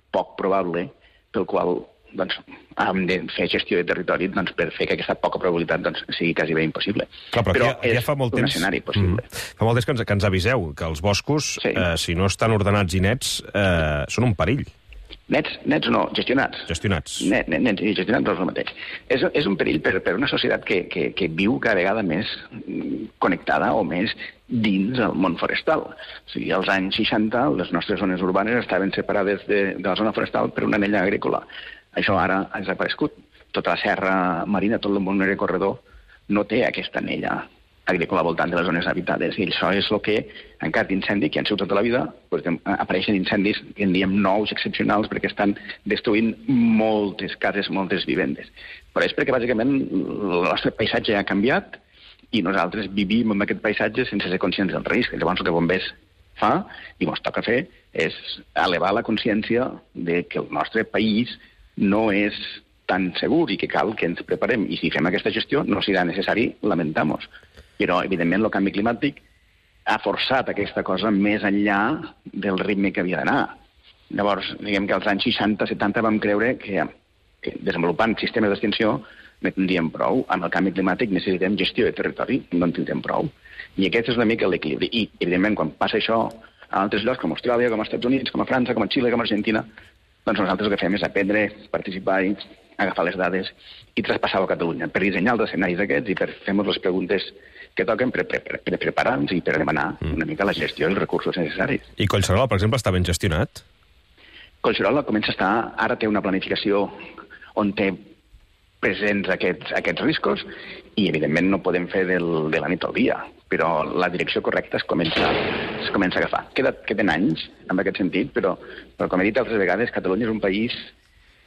poc probable pel qual hem de fer gestió de territori per fer que aquesta poca probabilitat sigui quasi bé impossible. Clar, però és fa molt un temps, escenari possible. Fa molt temps que ens aviseu que els boscos, si no estan ordenats i nets, són un perill. Nets no, gestionats. Gestionats. Nets i gestionats no és el mateix. És un perill per una societat que viu cada vegada més connectada o més dins el món forestal. O sigui, als anys 60 les nostres zones urbanes estaven separades de la zona forestal per una anella agrícola. Això ara ha desaparegut. Tota la serra marina, tot el món corredor, no té aquesta anella agrícola al voltant de les zones habitades. I això és el que, en cas d'incendi, que han sigut tota la vida, apareixen incendis, que en diem nous, excepcionals, perquè estan destruint moltes cases, moltes vivendes. Però és perquè, bàsicament, el nostre paisatge ha canviat i nosaltres vivim en aquest paisatge sense ser conscients del risc. Llavors, el que Bombers fa, i ens toca fer, és elevar la consciència de que el nostre país no és tan segur i que cal que ens preparem. I si fem aquesta gestió, no serà necessari lamentar-nos. Però, evidentment, el canvi climàtic ha forçat aquesta cosa més enllà del ritme que havia d'anar. Llavors, diguem que als anys 60-70 vam creure que desenvolupant sistemes d'extinció no tindríem prou. Amb el canvi climàtic necessitem gestió de territori, no en tindrem prou. I aquest és una mica l'equilibri. I, evidentment, quan passa això a altres llocs, com a Austràlia, com als Estats Units, com a França, com a Xile, com a Argentina, doncs nosaltres el que fem és aprendre, participar, agafar les dades i traspassar-ho a Catalunya, per dissenyar els escenaris aquests i per fer-nos les preguntes que toquen per preparar-nos i per demanar una mica la gestió i els recursos necessaris. I Collserola, per exemple, està ben gestionat? Collserola comença a estar... Ara té una planificació on té presents aquests riscos i, evidentment, no podem fer de la nit al dia, però la direcció correcta es comença a agafar. Queden anys en aquest sentit, però com he dit altres vegades, Catalunya és un país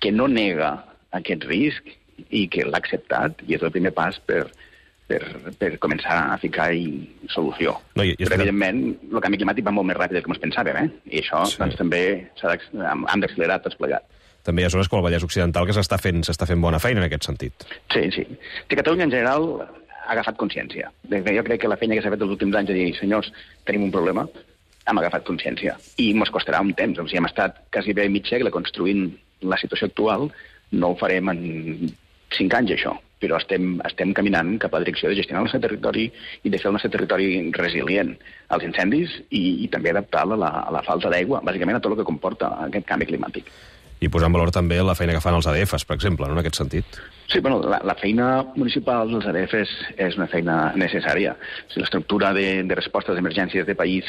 que no nega aquest risc i que l'ha acceptat i és el primer pas per començar a ficar-hi solució. Però, evidentment, el canvi climàtic va molt més ràpid del que ens pensàvem, i això doncs, també hem d'accelerar tots plegats. també hi ha zones com el Vallès Occidental que s'està fent bona feina en aquest sentit. Sí. Catalunya, en general, ha agafat consciència. Jo crec que la feina que s'ha fet els últims anys de dir, senyors, tenim un problema, hem agafat consciència. I ens costarà un temps. O sigui, hem estat quasi bé mig segle construint la situació actual, no ho farem en 5 anys, això, però estem caminant cap a la direcció de gestionar el nostre territori i de fer el nostre territori resilient als incendis i també adaptar-lo a la falta d'aigua, bàsicament a tot el que comporta aquest canvi climàtic. I posar en valor també la feina que fan els ADFs, per exemple, no, en aquest sentit. Sí, bueno, la feina municipal dels ADFs és una feina necessària. O sigui, l'estructura de resposta a les emergències de país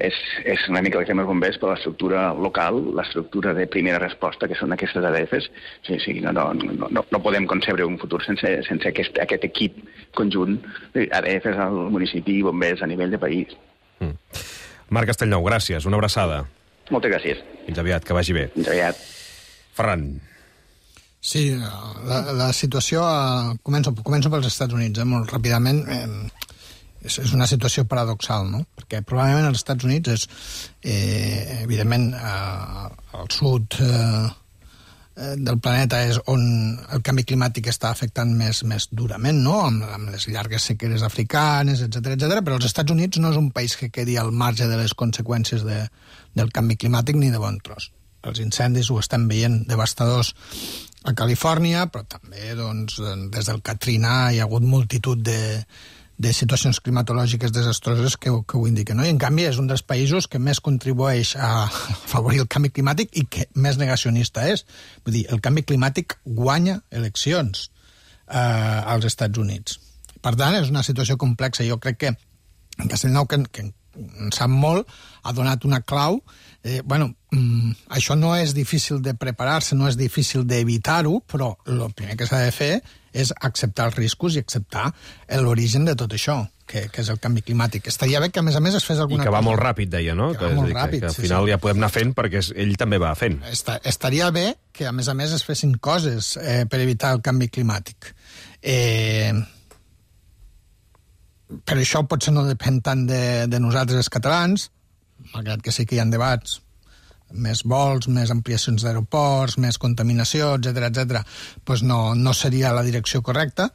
és una mica el que fem els bombers, però l'estructura local, l'estructura de primera resposta, que són aquestes ADFs, no podem concebre un futur sense aquest equip conjunt ADFs al municipi i bombers a nivell de país. Marc Castellnou, gràcies, una abraçada. Moltes gràcies. Fins aviat, que vagi bé. Fins aviat. Ferran. Sí, la situació... Començo pels Estats Units, molt ràpidament. És una situació paradoxal, no? Perquè probablement als Estats Units és, evidentment, al sud del planeta és on el canvi climàtic està afectant més durament, no? Amb les llargues sequeres africanes, etc. Però els Estats Units no és un país que quedi al marge de les conseqüències del canvi climàtic ni de bon tros. Els incendis ho estem veient devastadors a Califòrnia, però també doncs, des del Katrina hi ha hagut multitud de situacions climatològiques desastroses que ho indiquen. No? I, en canvi, és un dels països que més contribueix a afavorir el canvi climàtic i que més negacionista és. Vull dir, el canvi climàtic guanya eleccions als Estats Units. Per tant, és una situació complexa. Jo crec que Castellnou, que en sap molt, ha donat una clau. Això no és difícil de preparar-se, no és difícil d'evitar-ho, però el primer que s'ha de fer és acceptar els riscos i acceptar l'origen de tot això, que és el canvi climàtic. Estaria bé que, a més es fes alguna cosa. I que va molt ràpid, deia, no? Que va molt ràpid, que al final ja podem anar fent perquè ell també va fent. Estaria bé que, a més es fessin coses per evitar el canvi climàtic. Però això potser no depèn tant de nosaltres els catalans, malgrat que sí que hi ha debats, més vols, més ampliacions d'aeroports, més contaminació, etc. Doncs no seria la direcció correcta,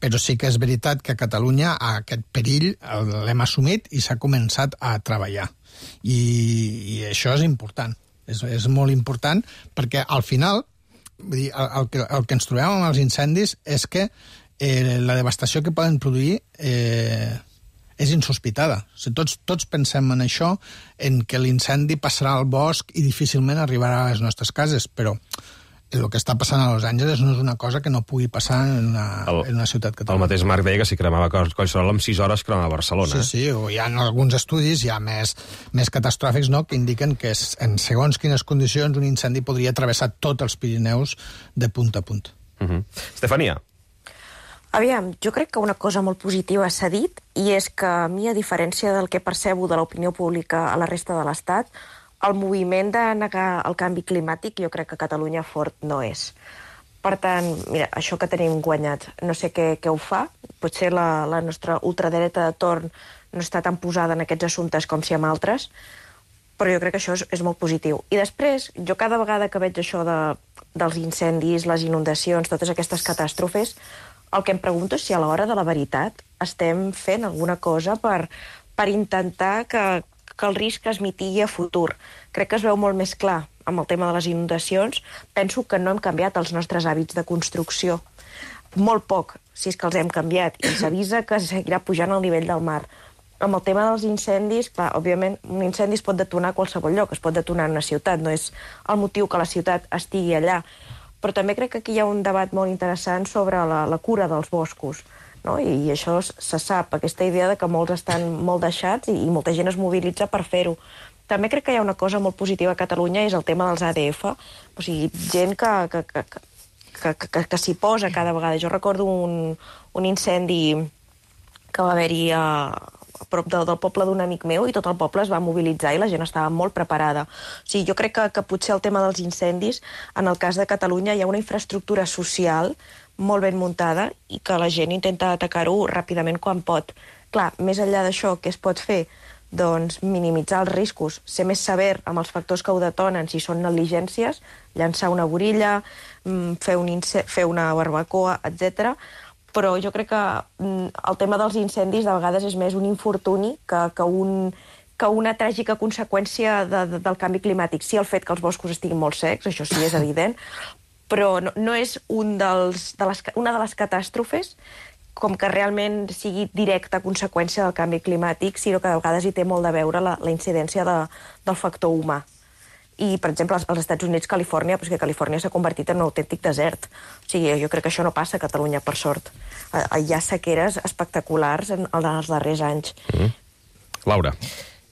però sí que és veritat que a Catalunya aquest perill l'hem assumit i s'ha començat a treballar. I això és important, és molt important, perquè al final, vull dir, el que ens trobem amb els incendis és que la devastació que poden produir és insospitada. O sigui, tots pensem en això, en que l'incendi passarà al bosc i difícilment arribarà a les nostres cases, però el que està passant a Los Angeles no és una cosa que no pugui passar en una ciutat catalana. El mateix Marc deia que si cremava Collserola en 6 hores cremava Barcelona. Sí, o hi ha alguns estudis ja més catastròfics, no?, que indiquen que en segons quines condicions un incendi podria travessar tots els Pirineus de punta a punta. Estefania. Aviam, jo crec que una cosa molt positiva s'ha dit, i és que a mi, a diferència del que percebo de l'opinió pública a la resta de l'Estat, el moviment de negar el canvi climàtic jo crec que a Catalunya fort no és. Per tant, mira, això que tenim guanyat, no sé què ho fa, potser la nostra ultradreta de torn no està tan posada en aquests assumptes com si en altres, però jo crec que això és molt positiu. I després, jo cada vegada que veig això dels incendis, les inundacions, totes aquestes catàstrofes, el que em pregunto és si a l'hora de la veritat estem fent alguna cosa per intentar que el risc es mitigui a futur. Crec que es veu molt més clar amb el tema de les inundacions. Penso que no hem canviat els nostres hàbits de construcció. Molt poc, si és que els hem canviat, i s'avisa que seguirà pujant el nivell del mar. Amb el tema dels incendis, clar, òbviament, un incendi es pot detonar a qualsevol lloc, es pot detonar en una ciutat, no és el motiu que la ciutat estigui allà. Però també crec que aquí hi ha un debat molt interessant sobre la cura dels boscos, no? I això se sap, aquesta idea de que molts estan molt deixats i molta gent es mobilitza per fer-ho. També crec que hi ha una cosa molt positiva a Catalunya, és el tema dels ADF, o sigui, gent que s'hi posa cada vegada. Jo recordo un incendi que va haver-hi a prop del poble d'un amic meu, i tot el poble es va mobilitzar i la gent estava molt preparada. O sigui, jo crec que potser el tema dels incendis, en el cas de Catalunya, hi ha una infraestructura social molt ben muntada i que la gent intenta atacar-ho ràpidament quan pot. Clar, més enllà d'això, què es pot fer? doncs, minimitzar els riscos, ser més sever amb els factors que ho detonen, si són negligències, llançar una burilla, fer una barbacoa, etc. Però jo crec que el tema dels incendis de vegades és més un infortuni que una tràgica conseqüència del canvi climàtic. Sí, el fet que els boscos estiguin molt secs, això sí és evident, però no és una de les catàstrofes com que realment sigui directa conseqüència del canvi climàtic, sinó que de vegades hi té molt de veure la incidència del factor humà. I, per exemple, als Estats Units, Califòrnia, perquè Califòrnia s'ha convertit en un autèntic desert. O sigui, jo crec que això no passa a Catalunya, per sort. Hi ha sequeres espectaculars en els darrers anys. Laura.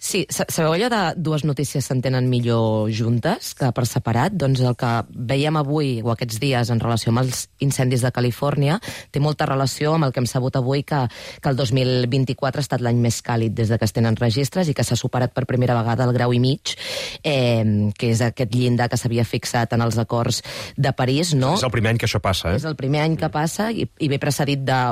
Sí, sabeu allò de dues notícies s'entenen millor juntes que per separat? Doncs el que veiem avui o aquests dies en relació amb els incendis de Califòrnia té molta relació amb el que hem sabut avui que el 2024 ha estat l'any més càlid des que es tenen registres i que s'ha superat per primera vegada el 1,5 graus, que és aquest llindar que s'havia fixat en els acords de París, no? És el primer any que això passa, eh? És el primer any que passa i ve precedit de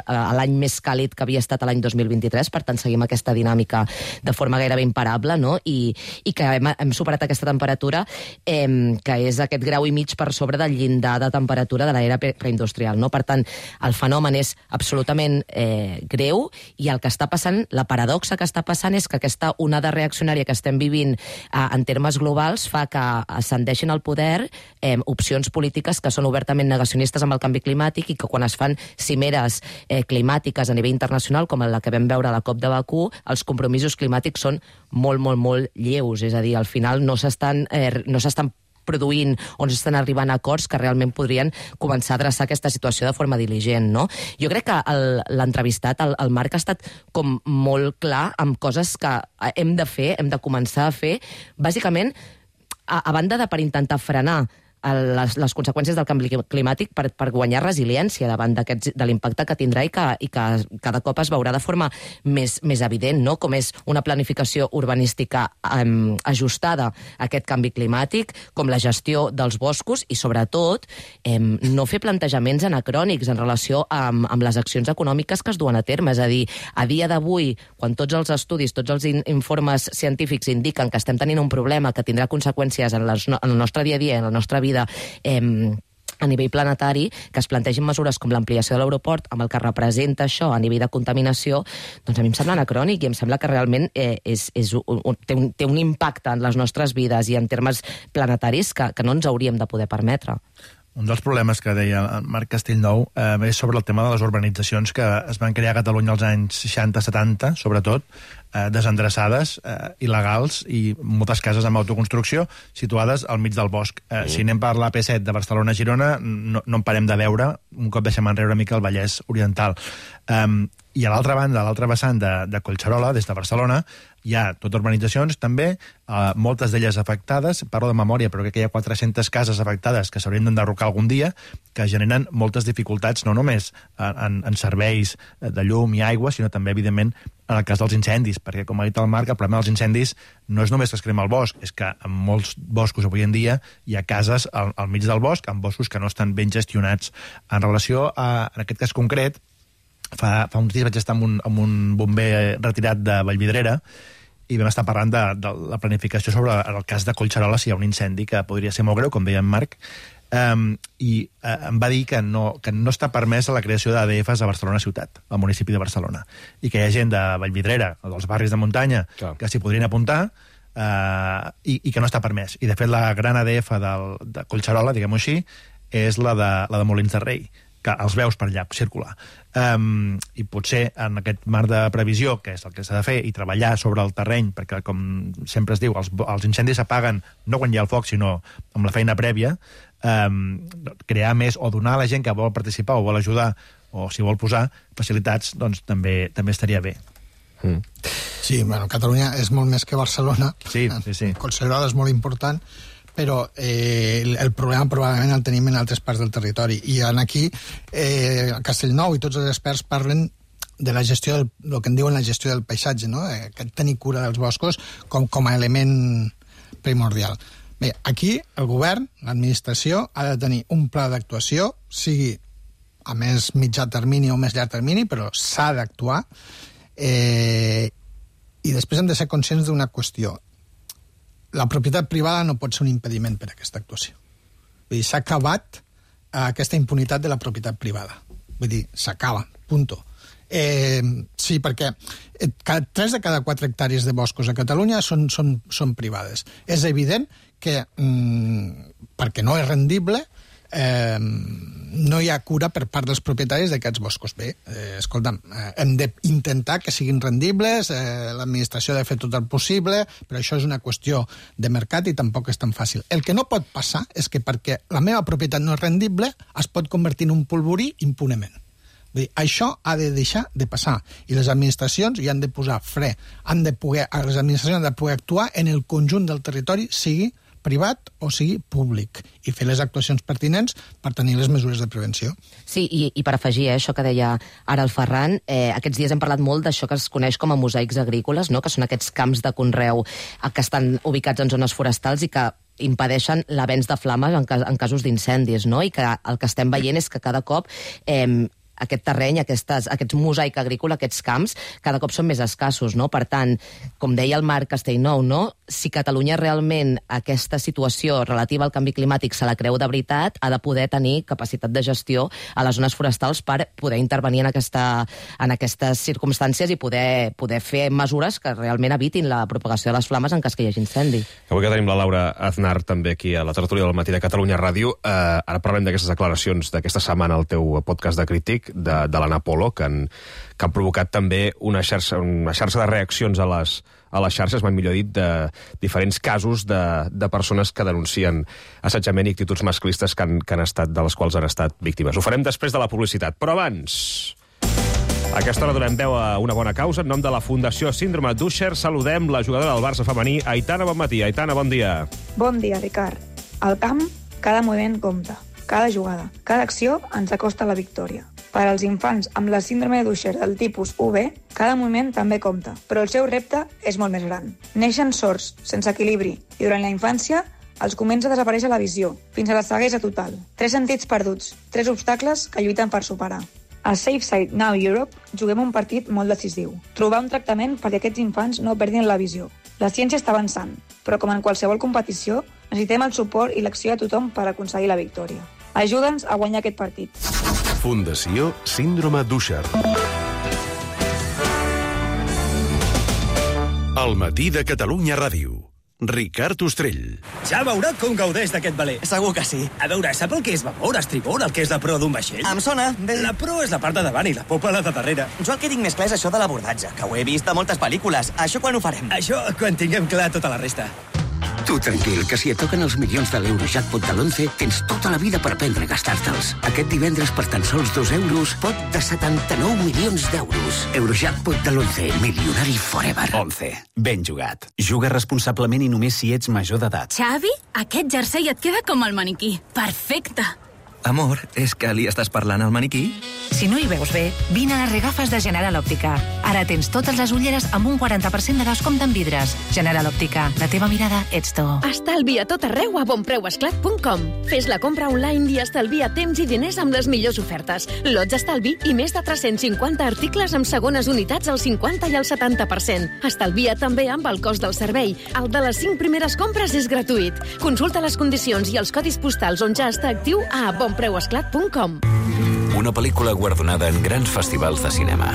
l'any més càlid que havia estat l'any 2023, per tant seguim aquesta dinàmica de forma gairebé imparable, no? I que hem superat aquesta temperatura, que és aquest 1,5 graus per sobre del llindar de temperatura de l'era preindustrial, no? Per tant, el fenomen és absolutament greu i el que està passant, la paradoxa que està passant és que aquesta onada reaccionària que estem vivint en termes globals fa que ascendeixin al poder opcions polítiques que són obertament negacionistes amb el canvi climàtic i que quan es fan cimeres climàtiques a nivell internacional, com la que vam veure a la COP de Bakú, els compromisos climàtics són molt, molt, molt lleus. És a dir, al final no s'estan produint o no s'estan arribant a acords que realment podrien començar a adreçar aquesta situació de forma diligent, no? Jo crec que l'entrevistat, el Marc, ha estat com molt clar amb coses que hem de fer, hem de començar a fer, bàsicament, a banda de per intentar frenar les conseqüències del canvi climàtic per guanyar resiliència davant de l'impacte que tindrà i que cada cop es veurà de forma més evident, no? Com és una planificació urbanística ajustada a aquest canvi climàtic, com la gestió dels boscos i, sobretot, no fer plantejaments anacrònics en relació amb les accions econòmiques que es duen a terme. És a dir, a dia d'avui, quan tots els estudis, tots els informes científics indiquen que estem tenint un problema que tindrà conseqüències en el nostre dia a dia, en la nostra vida a nivell planetari, que es plantegin mesures com l'ampliació de l'aeroport, amb el que representa això a nivell de contaminació, doncs a mi em sembla anacrònic i em sembla que realment té un impacte en les nostres vides i en termes planetaris que no ens hauríem de poder permetre. Un dels problemes que deia el Marc Castellnou és sobre el tema de les urbanitzacions que es van crear a Catalunya als anys 60-70, sobretot, desendreçades, il·legals i moltes cases amb autoconstrucció situades al mig del bosc. Si anem per l'AP7 de Barcelona a Girona, no en parem de veure, un cop deixem enrere una mica el Vallès Oriental. I a l'altra banda, a l'altra vessant de Collserola, des de Barcelona, hi ha totes urbanitzacions també, moltes d'elles afectades, parlo de memòria, però crec que hi ha 400 cases afectades que s'haurien d'enderrocar algun dia, que generen moltes dificultats, no només en serveis de llum i aigua, sinó també, evidentment, en el cas dels incendis, perquè, com ha dit el Marc, el problema dels incendis no és només que es crema el bosc, és que en molts boscos avui en dia hi ha cases al mig del bosc, amb boscos que no estan ben gestionats. En relació a, en aquest cas concret, fa uns dies vaig estar amb un bomber retirat de Vallvidrera i vam estar parlant de la planificació sobre el cas de Collserola si hi ha un incendi que podria ser molt greu, com deia en Marc, i em va dir que no està permès la creació d'ADFs a Barcelona ciutat, al municipi de Barcelona, i que hi ha gent de Vallvidrera o dels barris de muntanya que s'hi podrien apuntar i que no està permès. I, de fet, la gran ADF de Collserola, diguem-ho així, és la de Molins de Rei, que els veus per allà circular. I potser en aquest marc de previsió, que és el que s'ha de fer, i treballar sobre el terreny, perquè, com sempre es diu, els incendis s'apaguen no quan hi ha el foc, sinó amb la feina prèvia, crear més o donar a la gent que vol participar o vol ajudar o si vol posar facilitats, doncs també estaria bé. Sí, bueno, Catalunya és molt més que Barcelona. Sí. Collserola és molt important, però el problema probablement el tenim en altres parts del territori. I aquí Castellnou i tots els experts parlen de la gestió, el que en diuen la gestió del paisatge, no? Tenir cura dels boscos com a element primordial. Bé, aquí el govern, l'administració, ha de tenir un pla d'actuació, sigui a més mitjà termini o més llarg termini, però s'ha d'actuar, i I després hem de ser conscients d'una qüestió. La propietat privada no pot ser un impediment per a aquesta actuació. Vull dir, s'ha acabat aquesta impunitat de la propietat privada. Vull dir, s'acaba, punto. Sí, perquè 3 de cada 4 hectàrees de boscos a Catalunya són privades. És evident que, perquè no és rendible, no hi ha cura per part dels propietaris d'aquests boscos. Bé, escolta'm, hem d'intentar que siguin rendibles, l'administració ha de fer tot el possible, però això és una qüestió de mercat i tampoc és tan fàcil. El que no pot passar és que perquè la meva propietat no és rendible es pot convertir en un polvorí impunement. Vull dir, això ha de deixar de passar i les administracions hi han de posar fre. Les administracions han de poder actuar en el conjunt del territori, sigui privat o sigui públic, i fer les actuacions pertinents per tenir les mesures de prevenció. Sí, i per afegir això que deia ara el Ferran, aquests dies hem parlat molt d'això que es coneix com a mosaics agrícoles, no? Que són aquests camps de conreu que estan ubicats en zones forestals i que impedeixen l'avenç de flames en casos d'incendis, no? I que el que estem veient és que cada cop aquest terreny, aquests mosaic agrícola, aquests camps, cada cop són més escassos, no? Per tant, com deia el Marc Castellnou, no? Si Catalunya realment aquesta situació relativa al canvi climàtic se la creu de veritat, ha de poder tenir capacitat de gestió a les zones forestals per poder intervenir en aquestes circumstàncies i poder fer mesures que realment evitin la propagació de les flames en cas que hi hagi incendi. Avui que tenim la Laura Aznar també aquí a la tertúlia del Matí de Catalunya Ràdio, ara parlem d'aquestes declaracions d'aquesta setmana al teu podcast de Crític, de l'Anna Polo, que han provocat també una xarxa de reaccions a les xarxes, mai millor dit, de diferents casos de persones que denuncien assetjament i actituds masclistes de les quals han estat víctimes. Ho farem després de la publicitat, però abans... A aquesta hora donem veu a una bona causa. En nom de la Fundació Síndrome d'Usher saludem la jugadora del Barça femení, Aitana Bonmatí. Aitana, bon dia. Bon dia, Ricard. Al camp, cada moviment compta. Cada jugada, cada acció ens acosta a la victòria. Per als infants amb la síndrome d'Usher del tipus UB, cada moviment també compta, però el seu repte és molt més gran. Neixen sords, sense equilibri, i durant la infància els comença a desaparèixer la visió, fins a la ceguesa total. 3 sentits perduts, 3 obstacles que lluiten per superar. A Safe Side Now Europe juguem un partit molt decisiu. Trobar un tractament perquè aquests infants no perdin la visió. La ciència està avançant, però com en qualsevol competició, necessitem el suport i l'acció de tothom per aconseguir la victòria. Ajuda'ns a guanyar aquest partit. Fundació Síndrome d'Usher. El Matí de Catalunya Ràdio. Ricard Ostrell. Ja veurà com gaudeix d'aquest veler. Segur que sí. A veure, sap el que és vapor, estribor, el que és la proa d'un vaixell? Em sona. Bé. La proa és la part de davant i la popa la de darrere. Jo el que tinc més clar és això de l'abordatge, que ho he vist a moltes pel·lícules. Això quan ho farem? Això quan tinguem clar tota la resta. Tu tranquil, que si et toquen els milions de l'Eurojackpot de l'11, tens tota la vida per aprendre a gastar-te'ls. Aquest divendres, per tan sols 2 euros, pot de 79 milions d'euros. Eurojackpot de l'11, milionari forever. 11. Ben jugat. Juga responsablement i només si ets major d'edat. Xavi, aquest jersei et queda com el maniquí. Perfecte. Amor, és que li estàs parlant al maniquí? Si no hi veus bé, vine a les regafes de General Òptica. Ara tens totes les ulleres amb un 40% de descompte en vidres. General Òptica, la teva mirada ets tu. Estalvia tot arreu a bonpreuesclat.com. Fes la compra online i estalvia temps i diners amb les millors ofertes. Lots d'estalvi i més de 350 articles amb segones unitats al 50 i al 70%. Estalvia també amb el cost del servei. El de les 5 primeres compres és gratuït. Consulta les condicions i els codis postals on ja està actiu a bonpreuesclat.com. Una pel·lícula guardonada en grans festivals de cinema.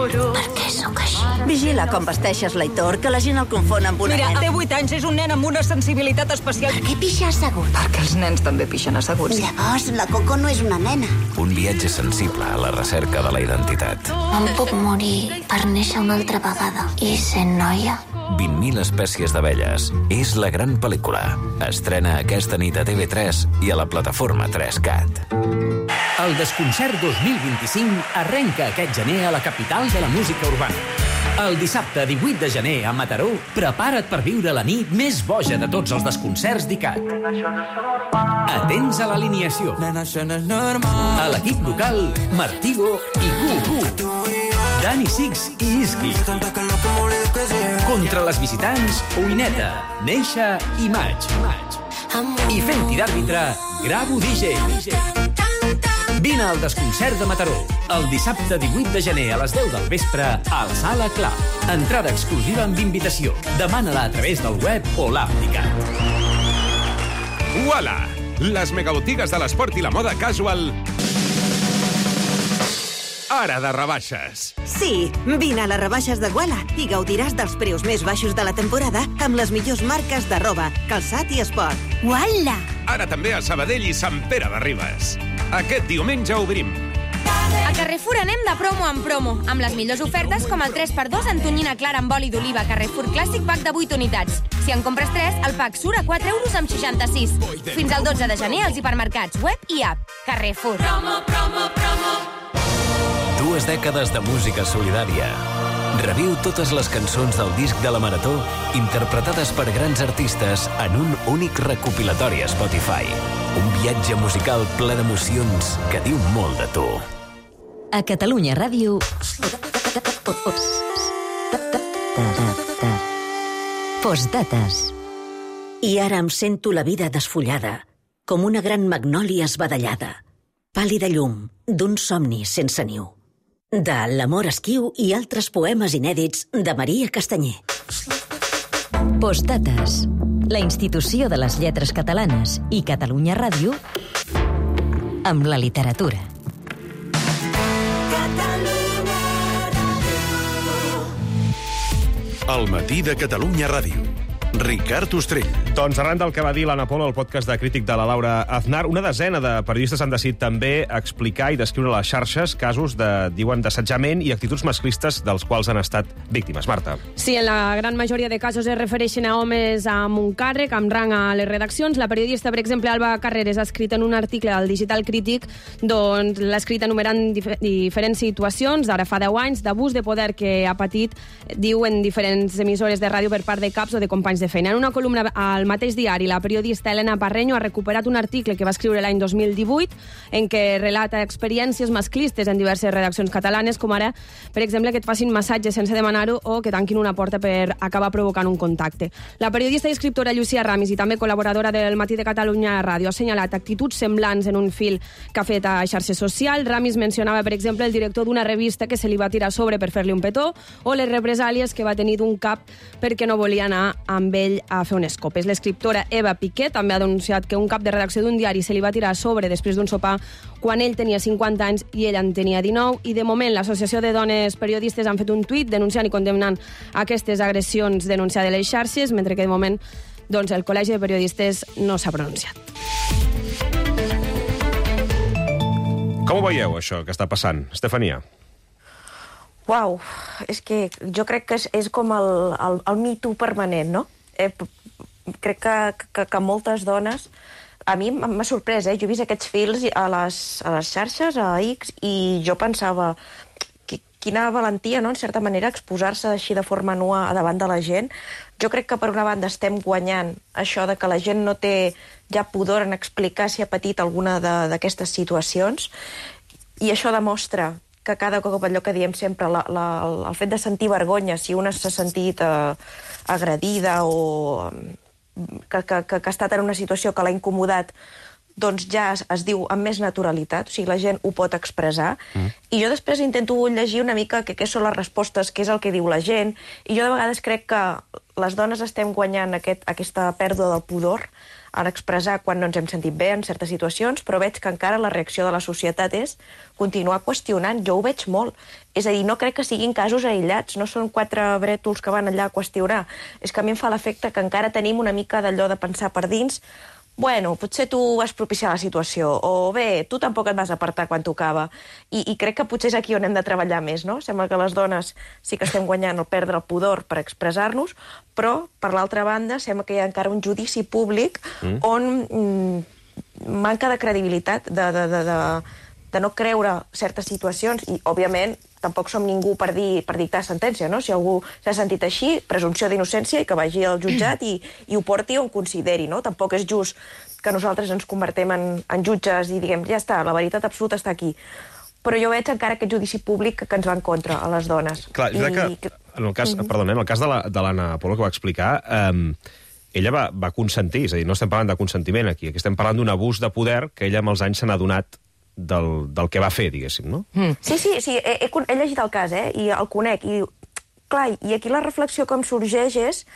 Per què sóc així? Vigila com vesteixes l'Aitor, que la gent el confon amb una nena. Mira, té 8 anys, és un nen amb una sensibilitat especial. Per què pixa assegut? Perquè els nens també pixen asseguts. Llavors, la Coco no és una nena. Un viatge sensible a la recerca de la identitat. Em puc morir per néixer una altra vegada i ser noia? 20.000 espècies d'abelles. És la gran pel·lícula. Estrena aquesta nit a TV3 i a la plataforma 3CAT. El Desconcert 2025 arrenca aquest gener a la capital de la música urbana. El dissabte 18 de gener a Mataró, prepara't per viure la nit més boja de tots els desconcerts d'ICAT. Atents a l'alineació. A l'equip local, Martigo i Gu-Gu. Dani Six i Iski. Contra les visitants, Oineta, Neixa i Maig. I fent-hi d'àrbitre, Gravo DJ. Vine al Desconcert de Mataró, el dissabte 18 de gener a les 10 del vespre al Sala Club. Entrada exclusiva amb invitació. Demana-la a través del web o l'app d'ICAT. Uala! Les megabotigues de l'esport i la moda casual ara de rebaixes. Sí, vine a les rebaixes de Guala i gaudiràs dels preus més baixos de la temporada amb les millors marques de roba, calçat i esport. Uala! Ara també a Sabadell i Sant Pere de Ribes. Aquest diumenge obrim. A Carrefour anem de promo en promo, amb les millors ofertes com el 3x2 en tonyina clara amb oli d'oliva Carrefour Clàssic pack de 8 unitats. Si en compres 3, el pack surt a 4 euros amb 66. Fins al 12 de gener als hipermercats, web i app. Carrefour. Promo, promo, promo. 2 dècades de música solidària. Reviu totes les cançons del disc de la Marató interpretades per grans artistes en un únic recopilatori a Spotify. Un viatge musical ple d'emocions que diu molt de tu. A Catalunya Ràdio... Postdates. I ara em sento la vida desfullada, com una gran magnòlia esbadellada, pàl·lida llum d'un somni sense niu. De L'amor esquiu i altres poemes inèdits de Maria Castanyer. Postdates. La institució de les lletres catalanes i Catalunya Ràdio amb la literatura. El matí de Catalunya Ràdio. Ricard Ostrell. Doncs arran del que va dir l'Anna Polo al podcast de crític de la Laura Aznar, una desena de periodistes han decidit també explicar i descriure a les xarxes casos diuen d'assetjament i actituds masclistes dels quals han estat víctimes. Marta. Sí, en la gran majoria de casos es refereixen a homes amb un càrrec, amb rang a les redaccions. La periodista, per exemple, Alba Carreras, ha escrit en un article al Digital Crític, doncs l'ha escrit enumerant diferents situacions d'ara fa 10 anys d'abús de poder que ha patit, diu, en diferents emissores de ràdio per part de caps o de companys de feina. En una columna al mateix diari, la periodista Elena Parreño ha recuperat un article que va escriure l'any 2018 en què relata experiències masclistes en diverses redaccions catalanes, com ara, per exemple, que et facin massatge sense demanar-ho o que tanquin una porta per acabar provocant un contacte. La periodista i escriptora Llucia Ramis, i també col·laboradora del Matí de Catalunya Ràdio, ha assenyalat actituds semblants en un fil que ha fet a xarxes socials. Ramis mencionava, per exemple, el director d'una revista que se li va tirar a sobre per fer-li un petó, o les represàlies que va tenir d'un cap perquè no volia anar amb ell a fer unes copes. L'escriptora Eva Piqué també ha denunciat que un cap de redacció d'un diari se li va tirar a sobre després d'un sopar quan ell tenia 50 anys i ella en tenia 19, i de moment l'Associació de Dones Periodistes han fet un tuit denunciant i condemnant aquestes agressions denunciades a les xarxes, mentre que de moment doncs, el Col·legi de Periodistes no s'ha pronunciat. Com ho veieu, això que està passant, Estefania? Uau, és que jo crec que és com el Me Too permanent, no? Crec que moltes dones... A mi m'ha sorprès, jo he vist aquests fils a les xarxes, a X, i jo pensava quina valentia, no?, en certa manera, exposar-se així de forma nua davant de la gent. Jo crec que, per una banda, estem guanyant això de que la gent no té ja pudor en explicar si ha patit alguna d'aquestes situacions, i això demostra que cada cop, allò que diem sempre, el fet de sentir vergonya, si una s'ha sentit agredida o que ha estat en una situació que l'ha incomodat, doncs ja es diu amb més naturalitat, o sigui, la gent ho pot expressar. I jo després intento llegir una mica què són les respostes, què és el que diu la gent, i jo de vegades crec que les dones estem guanyant aquesta pèrdua del pudor en expressar quan no ens hem sentit bé en certes situacions, però veig que encara la reacció de la societat és continuar qüestionant. Jo ho veig molt. És a dir, no crec que siguin casos aïllats, no són 4 brètols que van allà a qüestionar. És que a mi em fa l'efecte que encara tenim una mica d'allò de pensar per dins, bueno, potser tu vas propiciar la situació, o bé, tu tampoc et vas apartar quan tocava. I crec que potser és aquí on hem de treballar més, no? Sembla que les dones sí que estem guanyant el perdre el pudor per expressar-nos, però, per l'altra banda, sembla que hi ha encara un judici públic on manca de credibilitat, de no creure certes situacions, i, òbviament, tampoc som ningú per dictar sentència, no? Si algú s'ha sentit així, presumpció d'innocència i que vagi al jutjat i ho porti on consideri, no? Tampoc és just que nosaltres ens convertem en jutges i diguem, ja està, la veritat absoluta està aquí. Però jo veig encara aquest judici públic que ens va en contra a les dones. Clar, jo crec que, en el cas de l'Anna Polo, que va explicar, ella va consentir, és a dir, no estem parlant de consentiment aquí estem parlant d'un abús de poder que ella amb els anys s'ha adonat del que va fer, diguéssim, no? Sí, he llegit el cas, i el conec, i clar, i aquí la reflexió com sorgeix és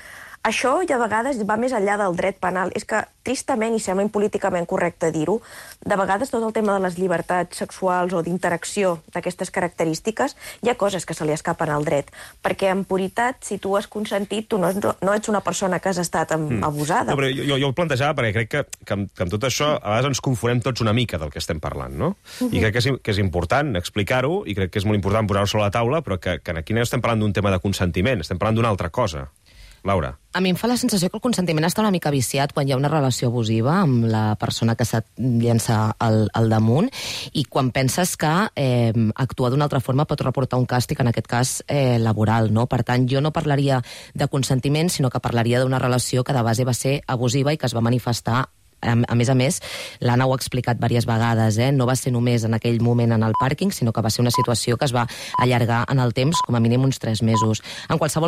això ja a vegades va més enllà del dret penal. És que, tristament, i sembla impolíticament correcte dir-ho, de vegades tot el tema de les llibertats sexuals o d'interacció d'aquestes característiques, hi ha coses que se li escapen al dret. Perquè, en puritat, si tu has consentit, tu no ets una persona que has estat abusada. No, però jo ho plantejava perquè crec que amb tot això a vegades ens confonem tots una mica del que estem parlant, no? I crec que és important explicar-ho, i crec que és molt important posar-ho sobre la taula, però que aquí no estem parlant d'un tema de consentiment, estem parlant d'una altra cosa. Laura. A mi em fa la sensació que el consentiment està una mica viciat quan hi ha una relació abusiva amb la persona que se't llença al damunt, i quan penses que actuar d'una altra forma pot reportar un càstig, en aquest cas laboral, no? Per tant, jo no parlaria de consentiment, sinó que parlaria d'una relació que de base va ser abusiva i que es va manifestar. A més, l'Anna ho ha explicat diverses vegades, no va ser només en aquell moment en el pàrquing, sinó que va ser una situació que es va allargar en el temps, com a mínim uns 3 mesos. En qualsevol